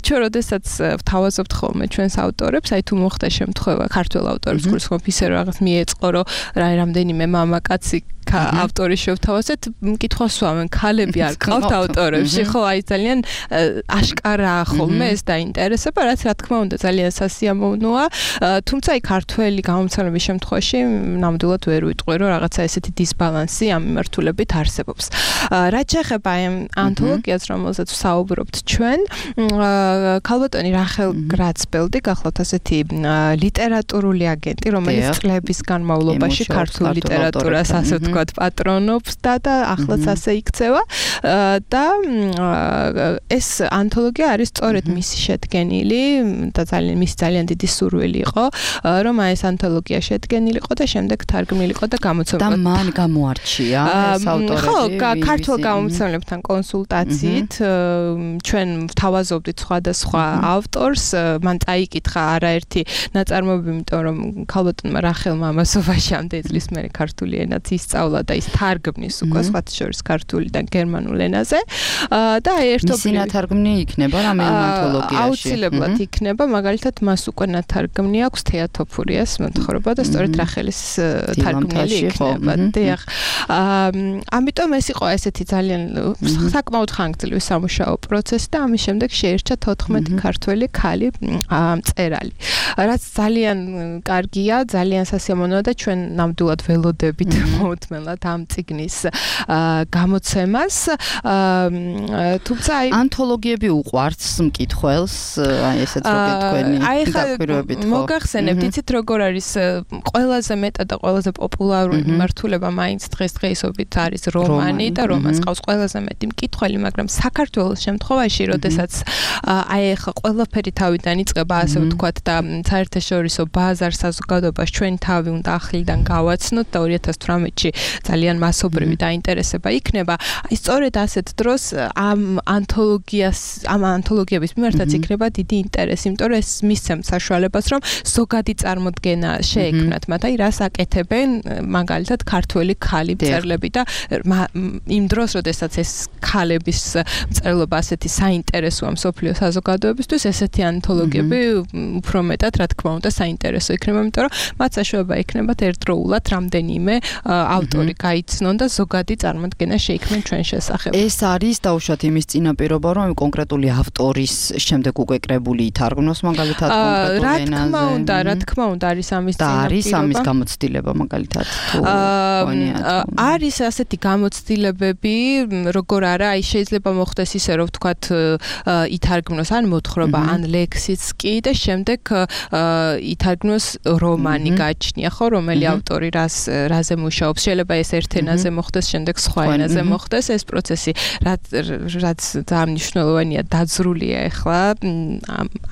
ჩვენ როდესაც ვთავაზობთ ხოლმე ჩვენს ავტორებს, აი თუ მოხდა შემთხვევა ქართველ ავტორებს, გულისხმობ ისე რაღაც მიეწყო, რომ რამდენიმე მამაკაცი ავტორი შევთავაზეთ, მკითხვას ვამენ, ქალები არ ყავთ ავტორებში, ხო, აი ძალიან აშკარაა ხოლმე ეს დაინტერესება, რაც რა თქმა უნდა ძალიან სასიამოვნოა, თუმცა აი ქართველი გამომცემლების შემთხვევაში ნამდვილად ვერ ვიტყვი, რომ რაღაცა ესეთი დისბალანსი ამ მიმართულებით არსებობს. რაც შეეხება ამ ანთოლოგიას, რომელზეც ვსაუბრობთ ჩვენ, ქალბატონი რახელ გრაცბელდი გახლავთ ასეთი ლიტერატურული აგენტი, რომელიც წლების განმავლობაში ქართულ ლიტერატურას ასე ვთქვათ პატრონობს ცხოვრობდა და ახლაც ასე იქცევა და ეს ანთოლოგია არის სწორედ მისი შედგენილი და ძალიან მისი ძალიან დიდი სურვილი იყო რომ აი ეს ანთოლოგია შედგენილიყო და შემდეგ თარგმნილიყო და გამოცემულიყო. და მან გამოარჩია ეს ავტორები. ხო, ქართულ გამომცემლებთან კონსულტაციით ჩვენ ვთავაზობდით სხვადასხვა ავტორს, მან წაიკითხა არაერთი ნაწარმოები, იმიტომ რომ ქალბატონმა რახელმა ამასობაში წლის მერე ქართული ენაც ისწავლა და ის თარგმნის უკვე სხვათა შორის ქართულიდან გერმანულ ენაზე და აი ერთობლივ მისი ნათარგმნი იქნება რამე ანთოლოგიაში. აუცილებლად იქნება, მაგალითად მას უკვე ნათარგმნი აქვს თეატოფურიას მოთხრობა და სწორედ რახელის თარგმნილი იქნება. დიახ. ამიტომ ეს იყო ესეთი ძალიან საკმაოდ ხანგრძლივი სამუშაო პროცესი და ამის შემდეგ შეერჩა თოთხმეტი ქართველი ქალი მწერალი. რაც ძალიან კარგია, ძალიან სასიამოვნოა და ჩვენ ნამდვილად ველოდებით მოუთმენლად ამ წიგნის გამოცემას. თუმცა აი ანთოლოგიები უყვართ მკითხველს, აი ესეც რო გეტყვენი დაკვირვებით ხო? მოგახსენებთ, იცით როგორ არის ყველაზე მეტად და ყველაზე პოპულარული მიმართულება მაინც დღესდღეობით არის რომანი და რომანს ყავს ყველაზე მეტი მკითხველი, მაგრამ საქართველოს შემთხვევაში, როდესაც აი ახლა ყველაფერი თავიდან იწყება, ასე ვთქვათ და საერთაშორისო ბაზარ საზოგადოებას ჩვენ თავი უნდა ახლიდან გავაცნოთ და ორი ათას თვრამეტში ძალიან მასობრივი დაინტერესება იქნება. აი სწორედ ასეთ დროს ამ ანთოლოგიას, ამ ანთოლოგიების მიმართაც იქნება დიდი ინტერესი, იმიტომ რომ ეს მისცემთ საშუალებას, რომ ზოგადი წარმოდგენა შეექმნათ მათ, აი რას აკეთებენ მაგალითად ქართველი ქალი მწერლები და იმ დროს, როდესაც ეს ქალების მწერლობა ასეთი საინტერესოა მსოფლიო საზოგადოებისთვის, ესეთი ანთოლოგიები უფრო მეტად, რა თქმა უნდა, საინტერესო იქნება, იმიტომ რომ მათ საშუალება ექნებათ ერთდროულად რამდენიმე ავტორი გაიცნონ და ზოგადი წარმოდგენა შეიქმნან ჩვენ შესახებ. ეს არის დაუშვათ იმის წინაპირობა, რომ კონკრეტული ავტორის შემდეგ უკვე კრებული ითარგმნოს მაგალითად კონკრეტულ ენაზე. რა თქმა უნდა, რა თქმა უნდა არის ამის წინაპირობა. და არის ამის გამოცდილება მაგალითად თუ არის ასეთი გამოცდილებები, როგორ არა, აი შეიძლება მოხდეს ისე, რომ ვთქვათ ითარგმნოს ან მოთხრობა, ან ლექსიც კი და შემდეგ ითარგმნოს რომანი გაჩნია, ხო, რომელი ავტორი რას რაზე მუშაობს. შეიძლება ეს ერთ ენაზე მოხდეს, შემდეგ სხვა ენაზე მოხდეს. ეს პროცესი რაც რაც ძალიან მნიშვნელოვანია, დაძრულია ახლა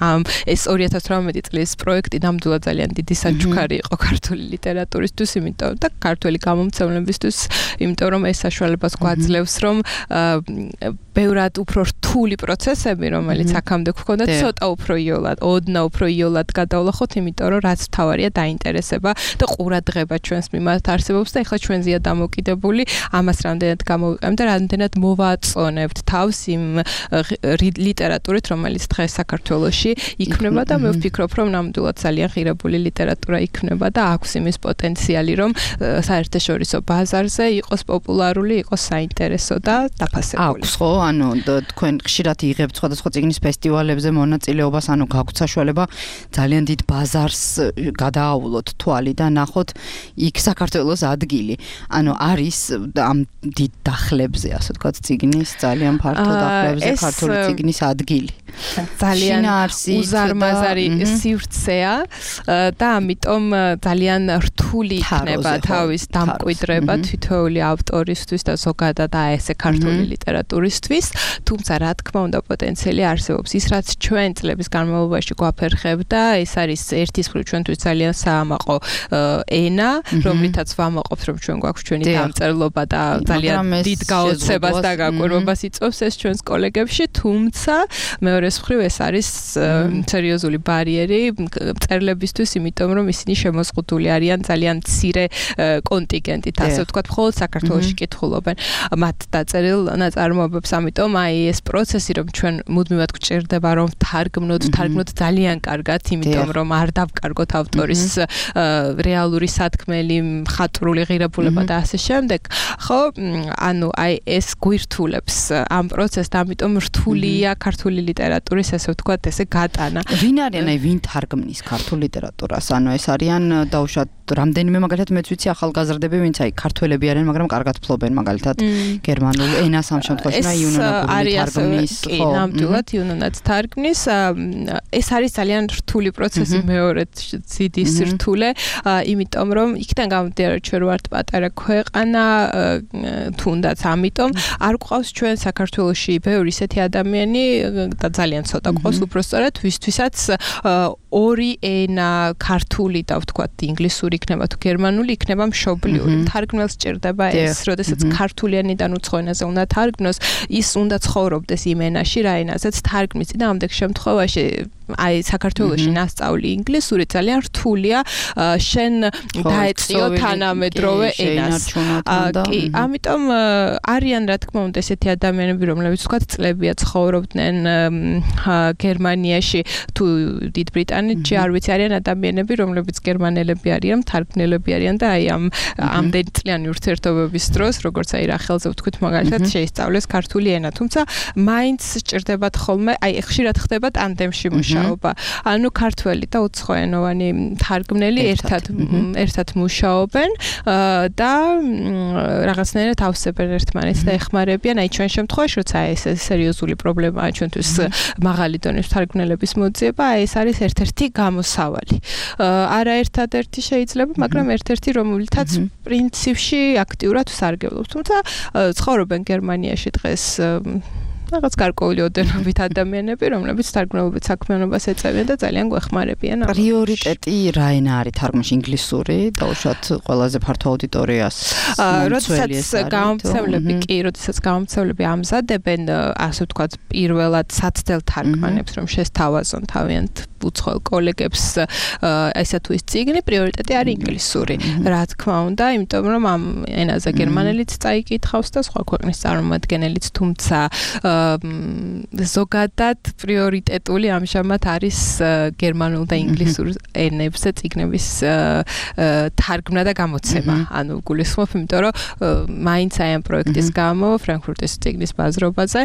ამ ეს ორი ათას თვრამეტი წლის პროექტი ნამდვილად ძალიან დიდი საჩუქარი იყო ქართული ლიტერატურისთვის, იმიტომ და ქართული გამომცემლებისთვის, იმიტომ რომ ეს საშუალებას გვაძლევს, რომ ბევრად უფრო რთული პროცესები, რომელიც აქამდე გვქონდა, ცოტა უფრო იოლად, ოდნა უფრო იოლად გადავლახოთ, იმიტომ რომ რაც თავარია დაინტერესება და ყურადღება ჩვენს მიმართ არსებობს და ეხლა ჩვენზეა დამოკიდებული, ამას რამდენად გამოვიყენებთ და რამდენად მოვაწონებთ თავს იმ ლიტერატურით, რომელიც დღეს საქართველოში იქმნება და მე ვფიქრობ, რომ ნამდვილად ძალიან ღირებული ლიტერატურა იქმნება და აქვს იმის პოტენციალი, რომ საერთაშორისო ბაზარზე იყოს პოპულარული, იყოს საინტერესო და დაფასებული. აქვს ხო, ანუ თქვენ ხშირად იღებთ სხვადასხვა წიგნის ფესტივალებზე მონაწილეობას, ანუ გაქვთ საშუალება ძალიან დიდ ბაზარს გადააავლოთ თვალი და ნახოთ იქ საქართველოს ადგილი. ანუ არის ამ დიდ დახლებზე, ასე ვთქვათ, წიგნის ძალიან ფართო დახლებზე ქართული წიგნის ადგილი. ძალიან უზარმაზარი სივრცეა და ამიტომ ძალიან რთული იქნება თავის დამკვიდრება თითოეული ავტორისთვის და ზოგადად ესე ქართული ლიტერატურისთვის, თუმცა რა თქმა უნდა პოტენციალი არსებობს. ის რაც ჩვენ წლების განმავლობაში გვაფერხებდა, ეს არის ერთის მხრივ ჩვენთვის ძალიან საამაყო ენა, რომლითაც ვამაყობთ, რომ ჩვენ გვაქვს ჩვენი დამწერლობა და ძალიან დიდ გაოცებას და გაკვირვებას იწვევს ეს ჩვენს კოლეგებში, თუმცა მეორეს მხრივ ეს არის სერიოზული ბარიერი მწერლებისთვის, იმიტომ რომ ისინი შემოზღუდული არიან ძალიან მცირე კონტინგენტით, ასე ვთქვათ, მხოლოდ საქართველოში კითხულობენ მათ დაწერილ ნაწარმოებებს, ამიტომ აი ეს პროცესი, რომ ჩვენ მუდმივად გვჭირდება, რომ ვთარგმნოთ, ვთარგმნოთ ძალიან კარგად, იმიტომ რომ არ დავკარგოთ ავტორის რეალური სათქმელი, მხატვრული ღირებულება და ასე შემდეგ. ხო, ანუ აი ეს გვირთულებს ამ პროცესს, ამიტომ რთულია ქართული ლიტერატურის, ასე ვთქვათ, ესე გატანა. ვინ არიან, აი ვინ თარგმნის ქართულ ლიტერატურას? ანუ ეს არიან დაუშვათ რამდენიმე მაგალითად მეც ვიცი ახალგაზრდები, ვინც აი ქართველები არიან, მაგრამ კარგად ფლობენ მაგალითად გერმანულ ენას ამ შემთხვევაში და იუნონაგური თარგმნის, ხო, ნამდვილად იუნონაც თარგმნის. ეს არის ძალიან რთული პროცესი მეორედ ძიდის რთულე, იმიტომ რომ იქიდან გამომდინარე ჩვენ ვართ პატარა ქვეყანა, თუნდაც ამიტომ არ გვყავს ჩვენ საქართველოში ბევრი ისეთი ადამიანი და ძალიან ცოტა ყავს უბრალოდ ვისთვისაც ორი ენა, ქართული და ვთქვათ ინგლისური იქნება თუ გერმანული იქნება მშობლიური. თარგმნელს სჭირდება ეს, როდესაც ქართულიანიდან უცხო ენაზე უნდა თარგმნოს, ის უნდა ცხოვრობდეს იმ ენაში, რა ენაზეც თარგმნის და ამდენ შემთხვევაში აი საქართველოში ნასწავლი ინგლისური ძალიან რთულია, შენ დაეწიო თანამედროვე ენას. კი, ამიტომ არიან რა თქმა უნდა ესეთი ადამიანები, რომლებიც ვთქვათ წლებია ცხოვრობდნენ გერმანიაში თუ დიდ ბრიტანეთში, არ ვიცი, არიან ადამიანები, რომლებიც გერმანელები არიან, თარგმნელები არიან და აი ამ ამდენი წლიანი ურთიერთობების დროს, როგორც აი რახელზე ვთქვით, მაგალითად შეისწავლეს ქართული ენა, თუმცა მაინც სჭირდებათ ხოლმე, აი ხშირად ხდება ტანდემში მუშაობა. ანუ ქართველი და უცხოენოვანი თარგმნელი ერთად ერთად მუშაობენ და რაღაცნაირად ავსებენ ერთმანეთს და ეხმარებიან. აი ჩვენ შემთხვევაში, როცა ეს სერიოზული პრობლემაა ჩვენთვის მაღალი დონის თარგმნელების მოძიება, აი ეს არის ერთ-ერთი გამოსავალი. არა ერთადერთი შეიძლება, მაგრამ ერთ-ერთი, რომელთაც პრინციპში აქტიურად ვსარგებლობთ. თუმცა ცხოვრობენ გერმანიაში დღეს რაღაც გარკვეული ოდენობით ადამიანები, რომლებიც თარგმნელობით საქმიანობას ეწევიან და ძალიან გვეხმარებიან. პრიორიტეტი რა ენა არის თარგმნაში? ინგლისური, დაუშვათ ყველაზე ფართო აუდიტორიას. როდესაც გამომცემლები, კი, როდესაც გამომცემლები ამზადებენ, ასე ვთქვათ, პირველად საცდელ თარგმანებს, რომ შესთავაზონ თავიანთ უცხოელ კოლეგებს ესა თუ ის წიგნი, პრიორიტეტი არის ინგლისური. რა თქმა უნდა, იმიტომ რომ ამ ენაზე გერმანელიც წაიკითხავს და სხვა ქვეყნის წარმომადგენელიც, თუმცა ზოგადად პრიორიტეტული ამჟამად არის გერმანულ და ინგლისურ ენებზე წიგნების თარგმნა და გამოცემა. ანუ გულისხმობ, იმიტომ რომ მაინც აი ამ პროექტის გამო ფრანკფურტის წიგნის ბაზრობაზე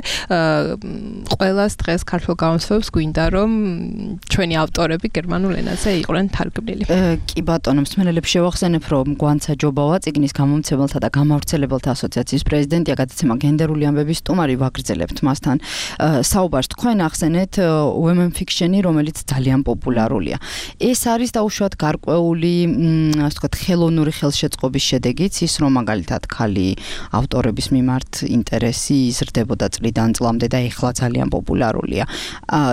ყველას დღეს ქართულ გამოცემებს გვინდა რომ ჩვენი ავტორები გერმანულ ენაზე იყვნენ თარგმნილი. კი ბატონო, მსმენელებს შევახსენებ, რომ გვანცა ჯობავა წიგნის გამომცემელთა და გამავრცელებელთა ასოციაციის პრეზიდენტია, გადაცემა გენდერული ამბების სტუმარი, ვაგრძელებთ მასთან საუბარს. თქვენ ახსენეთ women fiction-ი, რომელიც ძალიან პოპულარულია. ეს არის დაუშვათ გარკვეული, ასე ვთქვათ, ხელოვნური ხელშეწყობის შედეგიც, ის რომ მაგალითად ქალი ავტორების მიმართ ინტერესი იზრდებოდა წლიდან წლამდე და ეხლა ძალიან პოპულარულია.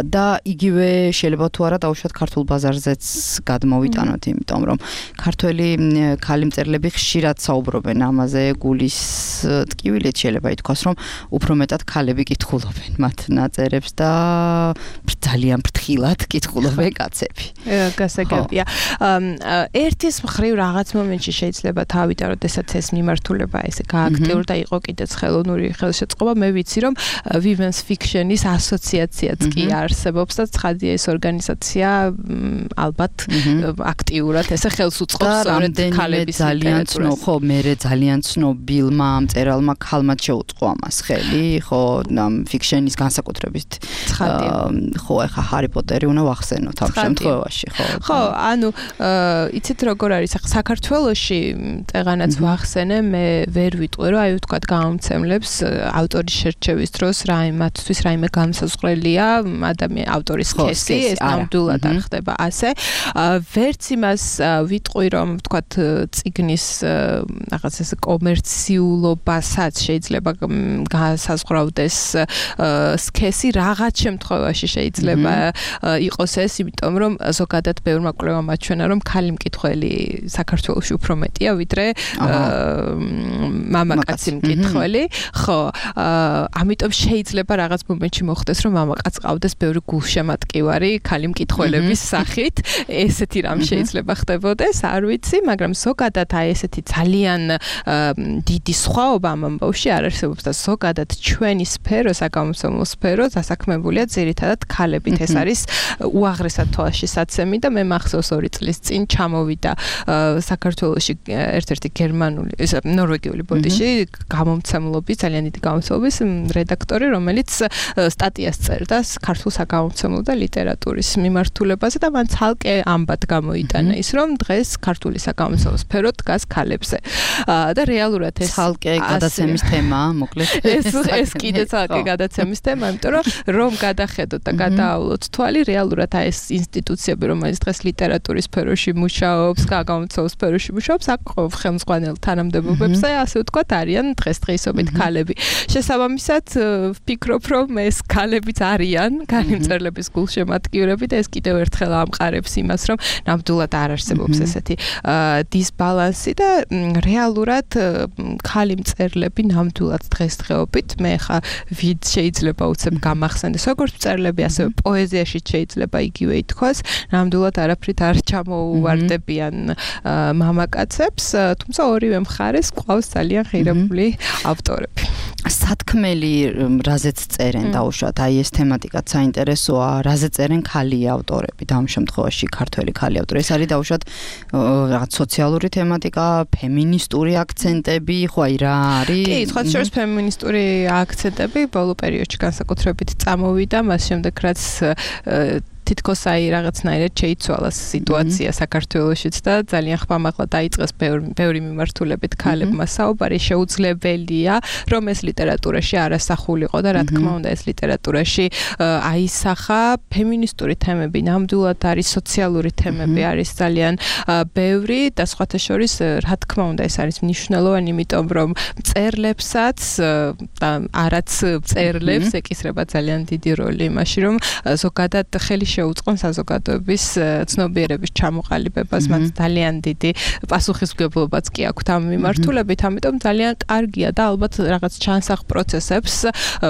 და იგივე შეიძლება თუ არა დაუშვათ ქართულ ბაზარზეც გადმოვიტანოთ, იმიტომ რომ ქართველი ქალი მწერლები ხშირად საუბრობენ ამაზე, გულის ტკივილით შეიძლება ითქვას, რომ უფრო მეტად ქალები კითხულობენ მათ ნაწერებს და ძალიან ფრთხილად კითხულობენ კაცები. გასაგებია. ერთის მხრივ რაღაც მომენტში შეიძლება თავიდან, როდესაც ეს მიმართულება ესე გააქტიურდა, იყო კიდეც ხელოვნური ხელშეწყობა, მე ვიცი რომ women's fiction-ის ასოციაციაც კი არსებობს და ცხადია ეს ორგანიზაცია ალბათ აქტიურად ესე ხელს უწყობს სწორედ ქალების ძალიან ცნობ, ხო, მე ძალიან ცნობილმა მწერალმა ქალმა შეუწყო ამას ხელი, ხო, ამ ფიქშენის განსაკუთრებით. ხო, ეხა ჰარი პოტერი უნდა ვახსენოთ ამ შემთხვევაში, ხო. ხო, ანუ იცით როგორ არის, საქართველოში წეღანაც ვახსენე, მე ვერ ვიტყვი, რომ აი ვთქვათ გამომცემლებს ავტორის შერჩევის დროს რაიმათთვის რაიმე განსაზღვრელია ადამიან ავტორის სქესი, ეს ნამდვილად არ ხდება ასე. ვერც იმას ვიტყვი, რომ ვთქვათ წიგნის რაღაც ეს კომერციულობასაც შეიძლება განსაზღვრავდეს სქესი, რაღაც შემთხვევაში შეიძლება იყოს ეს, იმიტომ რომ ზოგადად ბევრმა კვლევამ აჩვენა, რომ ქალი მკითხველი საქართველოში უფრო მეტია, ვიდრე მამაკაცი მკითხველი. ხო, ამიტომ შეიძლება რაღაც მომენტში მოხდეს, რომ მამაკაც ყავდეს ბევრი გულშემატკივარი ქალი მკითხველების სახით. ესეთი რამ შეიძლება ხდებოდეს, არ ვიცი, მაგრამ ზოგადად აი ესეთი ძალიან დიდი სხვაობა ამ ამბავში არ არსებობს და ზოგადად ჩვენი სფერო სფერო, საგამომცემლო სფერო დასაქმებულია ძირითადად ქალებით. ეს არის უაღრესად თვალშისაცემი და მე მახსოვს ორი წლის წინ ჩამოვიდა საქართველოში ერთ-ერთი გერმანული, ნორვეგიული ბოდიში გამომცემლობის, ძალიან დიდი გამომცემლობის რედაქტორი, რომელიც სტატიას წერდა ქართულ საგამომცემლო და ლიტერატურის მიმართულებაზე და მან ცალკე ამბად გამოიტანა ის, რომ დღეს ქართული საგამომცემლო სფერო დგას ქალებზე. და რეალურად ეს ცალკე გადაცემის თემაა, მოკლედ. ეს ეს კიდე ცალკე გადაცემის თემა, იმიტომ რომ რომ გადახედოთ და გადაავლოთ თვალი, რეალურად ეს ინსტიტუციები, რომელიც დღეს ლიტერატურის სფეროში მუშაობს, საგამომცემლო სფეროში მუშაობს, აქ ხელმძღვანელ თანამდებობებზე, ასე ვთქვათ, არიან დღესდღეობით ქალები. შესაბამისად, ვფიქრობ, რომ ეს ქალებიც არიან, განმწერლების გულშემატკივრები და ეს კიდევ ერთხელ ამყარებს იმას, რომ ნამდვილად არ არსებობს ესეთი დისბალანსი და რეალურად ქალი მწერლები ნამდვილად დღესდღეობით მე ხა ვიდ შეიძლება უცებ გამახსენდეს როგორც მწერლები, ასევე პოეზიაში შეიძლება იგივე ითქვას, ნამდვილად არაფრით არ ჩამოუვარდებიან მამაკაცებს, თუმცა ორივე მხარეს ყავს ძალიან ღირებული ავტორები. სათქმელი რაზეც წერენ დაუშვათ, აი ეს თემატიკაც საინტერესოა, რაზე წერენ ქალი ავტორები და ამ შემთხვევაში ქართველი ქალი ავტორი. ეს არის დაუშვათ რაღაც სოციალური თემატიკა, ფემინისტური აქცენტები, ხო აი რა არის? კი, სხვა შორის ფემინისტური აქცენტები ბოლო პერიოდში განსაკუთრებით წამოვიდა, მას შემდეგ რაც თითქოს აი რაღაცნაირად შეიცვალა სიტუაცია საქართველოშიც და ძალიან ხმამაღლა დაიწყეს ბევრი მიმართულებით ქალებმა საუბარი, შეუძლებელია რომ ეს ლიტერატურაში არასახულიყო და რა თქმა უნდა ეს ლიტერატურაში აისახა ფემინისტური თემები, ნამდვილად არის სოციალური თემები, არის ძალიან ბევრი და სხვათა შორის რა თქმა უნდა ეს არის მნიშვნელოვანი, იმიტომ რომ მწერლებსაც და არაც მწერლებს ეკისრება ძალიან დიდი როლი იმაში, რომ ზოგადად ხელი შეუწყონ საზოგადოების ცნობიერების ჩამოყალიბებას, მათ ძალიან დიდი პასუხისმგებლობაც კი აქვთ ამ მიმართულებით, ამიტომ ძალიან კარგია და ალბათ რაღაც ჩანსახ პროცესებს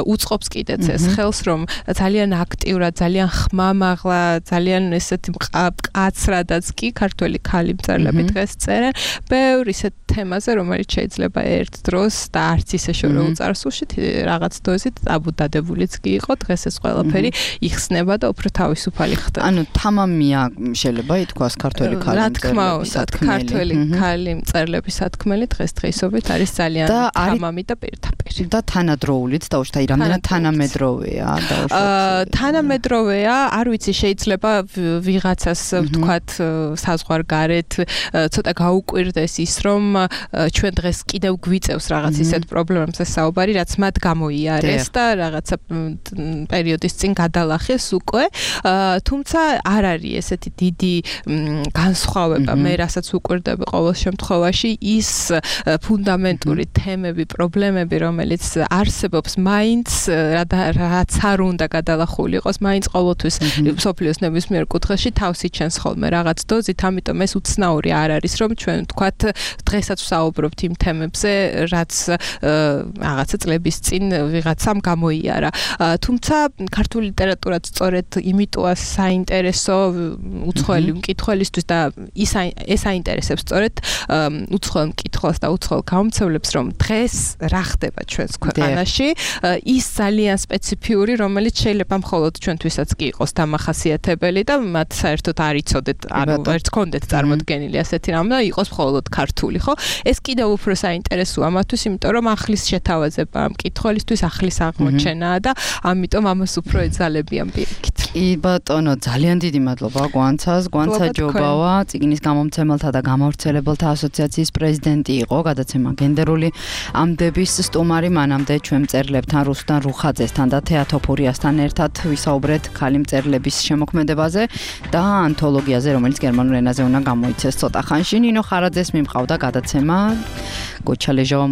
უწყობს კიდეც ეს ხელს, რომ ძალიან აქტიურად, ძალიან ხმამაღლა, ძალიან ესეთი მკაცრადაც კი ქართველი ქალი მწერლები დღეს წერენ ბევრ ისეთ თემაზე, რომელიც შეიძლება ერთ დროს და არც ისე შორეულ წარსულში რაღაც დოზით აბუდადებულიც კი იყო, დღეს ეს ყველაფერი იხსნება და უფრო თავისუფალი ხდება. ანუ თამამია შეიძლება ითქვას ქართველი ქალი მწერლების. რა თქმა უნდა, ქართველი ქალი მწერლების სათქმელი დღესდღეობით არის ძალიან თამამი და პირდაპირ. და თანადროულიც დაუშვათ, აი რამდენად თანამედროვეა დაუშვათ. თანამედროვეა, არ ვიცი, შეიძლება ვიღაცას ვთქვათ საზღვარგარეთ ცოტა გაუკვირდეს ის, რომ ჩვენ დღეს კიდევ გვიწევს რაღაც ისეთ პრობლემებზე საუბარი, რაც მათ გამოიარეს და რაღაცა პერიოდის წინ გადალახეს უკვე. თუმცა არ არის ესეთი დიდი განსხვავება, მე რასაც უკვირდები ყოველ შემთხვევაში ის ფუნდამენტური თემები, პრობლემები, რომელიც არსებობს, მაინც რაც არ უნდა გადალახული იყოს, მაინც ყოველთვის მსოფლიოს ნებისმიერ კუთხეში თავს იჩენს ხოლმე რაღაც დოზით, ამიტომ ეს უცნაური არ არის, რომ ჩვენ ვთქვათ დღესაც ვსაუბრობთ იმ თემებზე, რაც რაღაცა წლების წინ ვიღაცამ გამოიარა. თუმცა ქართული ლიტერატურაც სწორედ იმიტოა საინტერესო უცხოელი მკითხველისთვის და ის ეს აინტერესებს სწორედ უცხოელ მკითხველს და უცხოელ გამომცემლებს, რომ დღეს რა ხდება ჩვენს ქვეყანაში, ის ძალიან სპეციფიური, რომელიც შეიძლება მხოლოდ ჩვენთვისაც კი იყოს დამახასიათებელი და მათ საერთოდ არ იცოდეთ, ანუ ვერც კონდეთ წარმოდგენილი ასეთი რამ და იყოს მხოლოდ ქართული, ხო? ეს კიდევ უფრო საინტერესოა მათთვის, იმიტომ რომ ახლის შეთავაზება მკითხველისთვის ახლის აღმოჩენაა და ამიტომ ამას უფრო ეძალებიან პირიქით. კი ბატონო, ძალიან დიდი მადლობა გვანცას, გვანცა ჯობავა, წიგნის გამომცემელთა და გამავრცელებელთა ასოციაციის პრეზიდენტი იყო, გადაცემა გენდერული ამდების სტუმარი, მანამდე ჩვენ მწერლებთან რუსთან რუხაძესთან და თეატოფურიასთან ერთად ვისაუბრეთ ქალი მწერლების შემოქმედებაზე და ანთოლოგიაზე, რომელიც გერმანულ ენაზე უნდა გამოიცეს ცოტა ხანში. ნინო ხარაძეს მიმყავდა გადაცემა, გოჩა ლეჟავა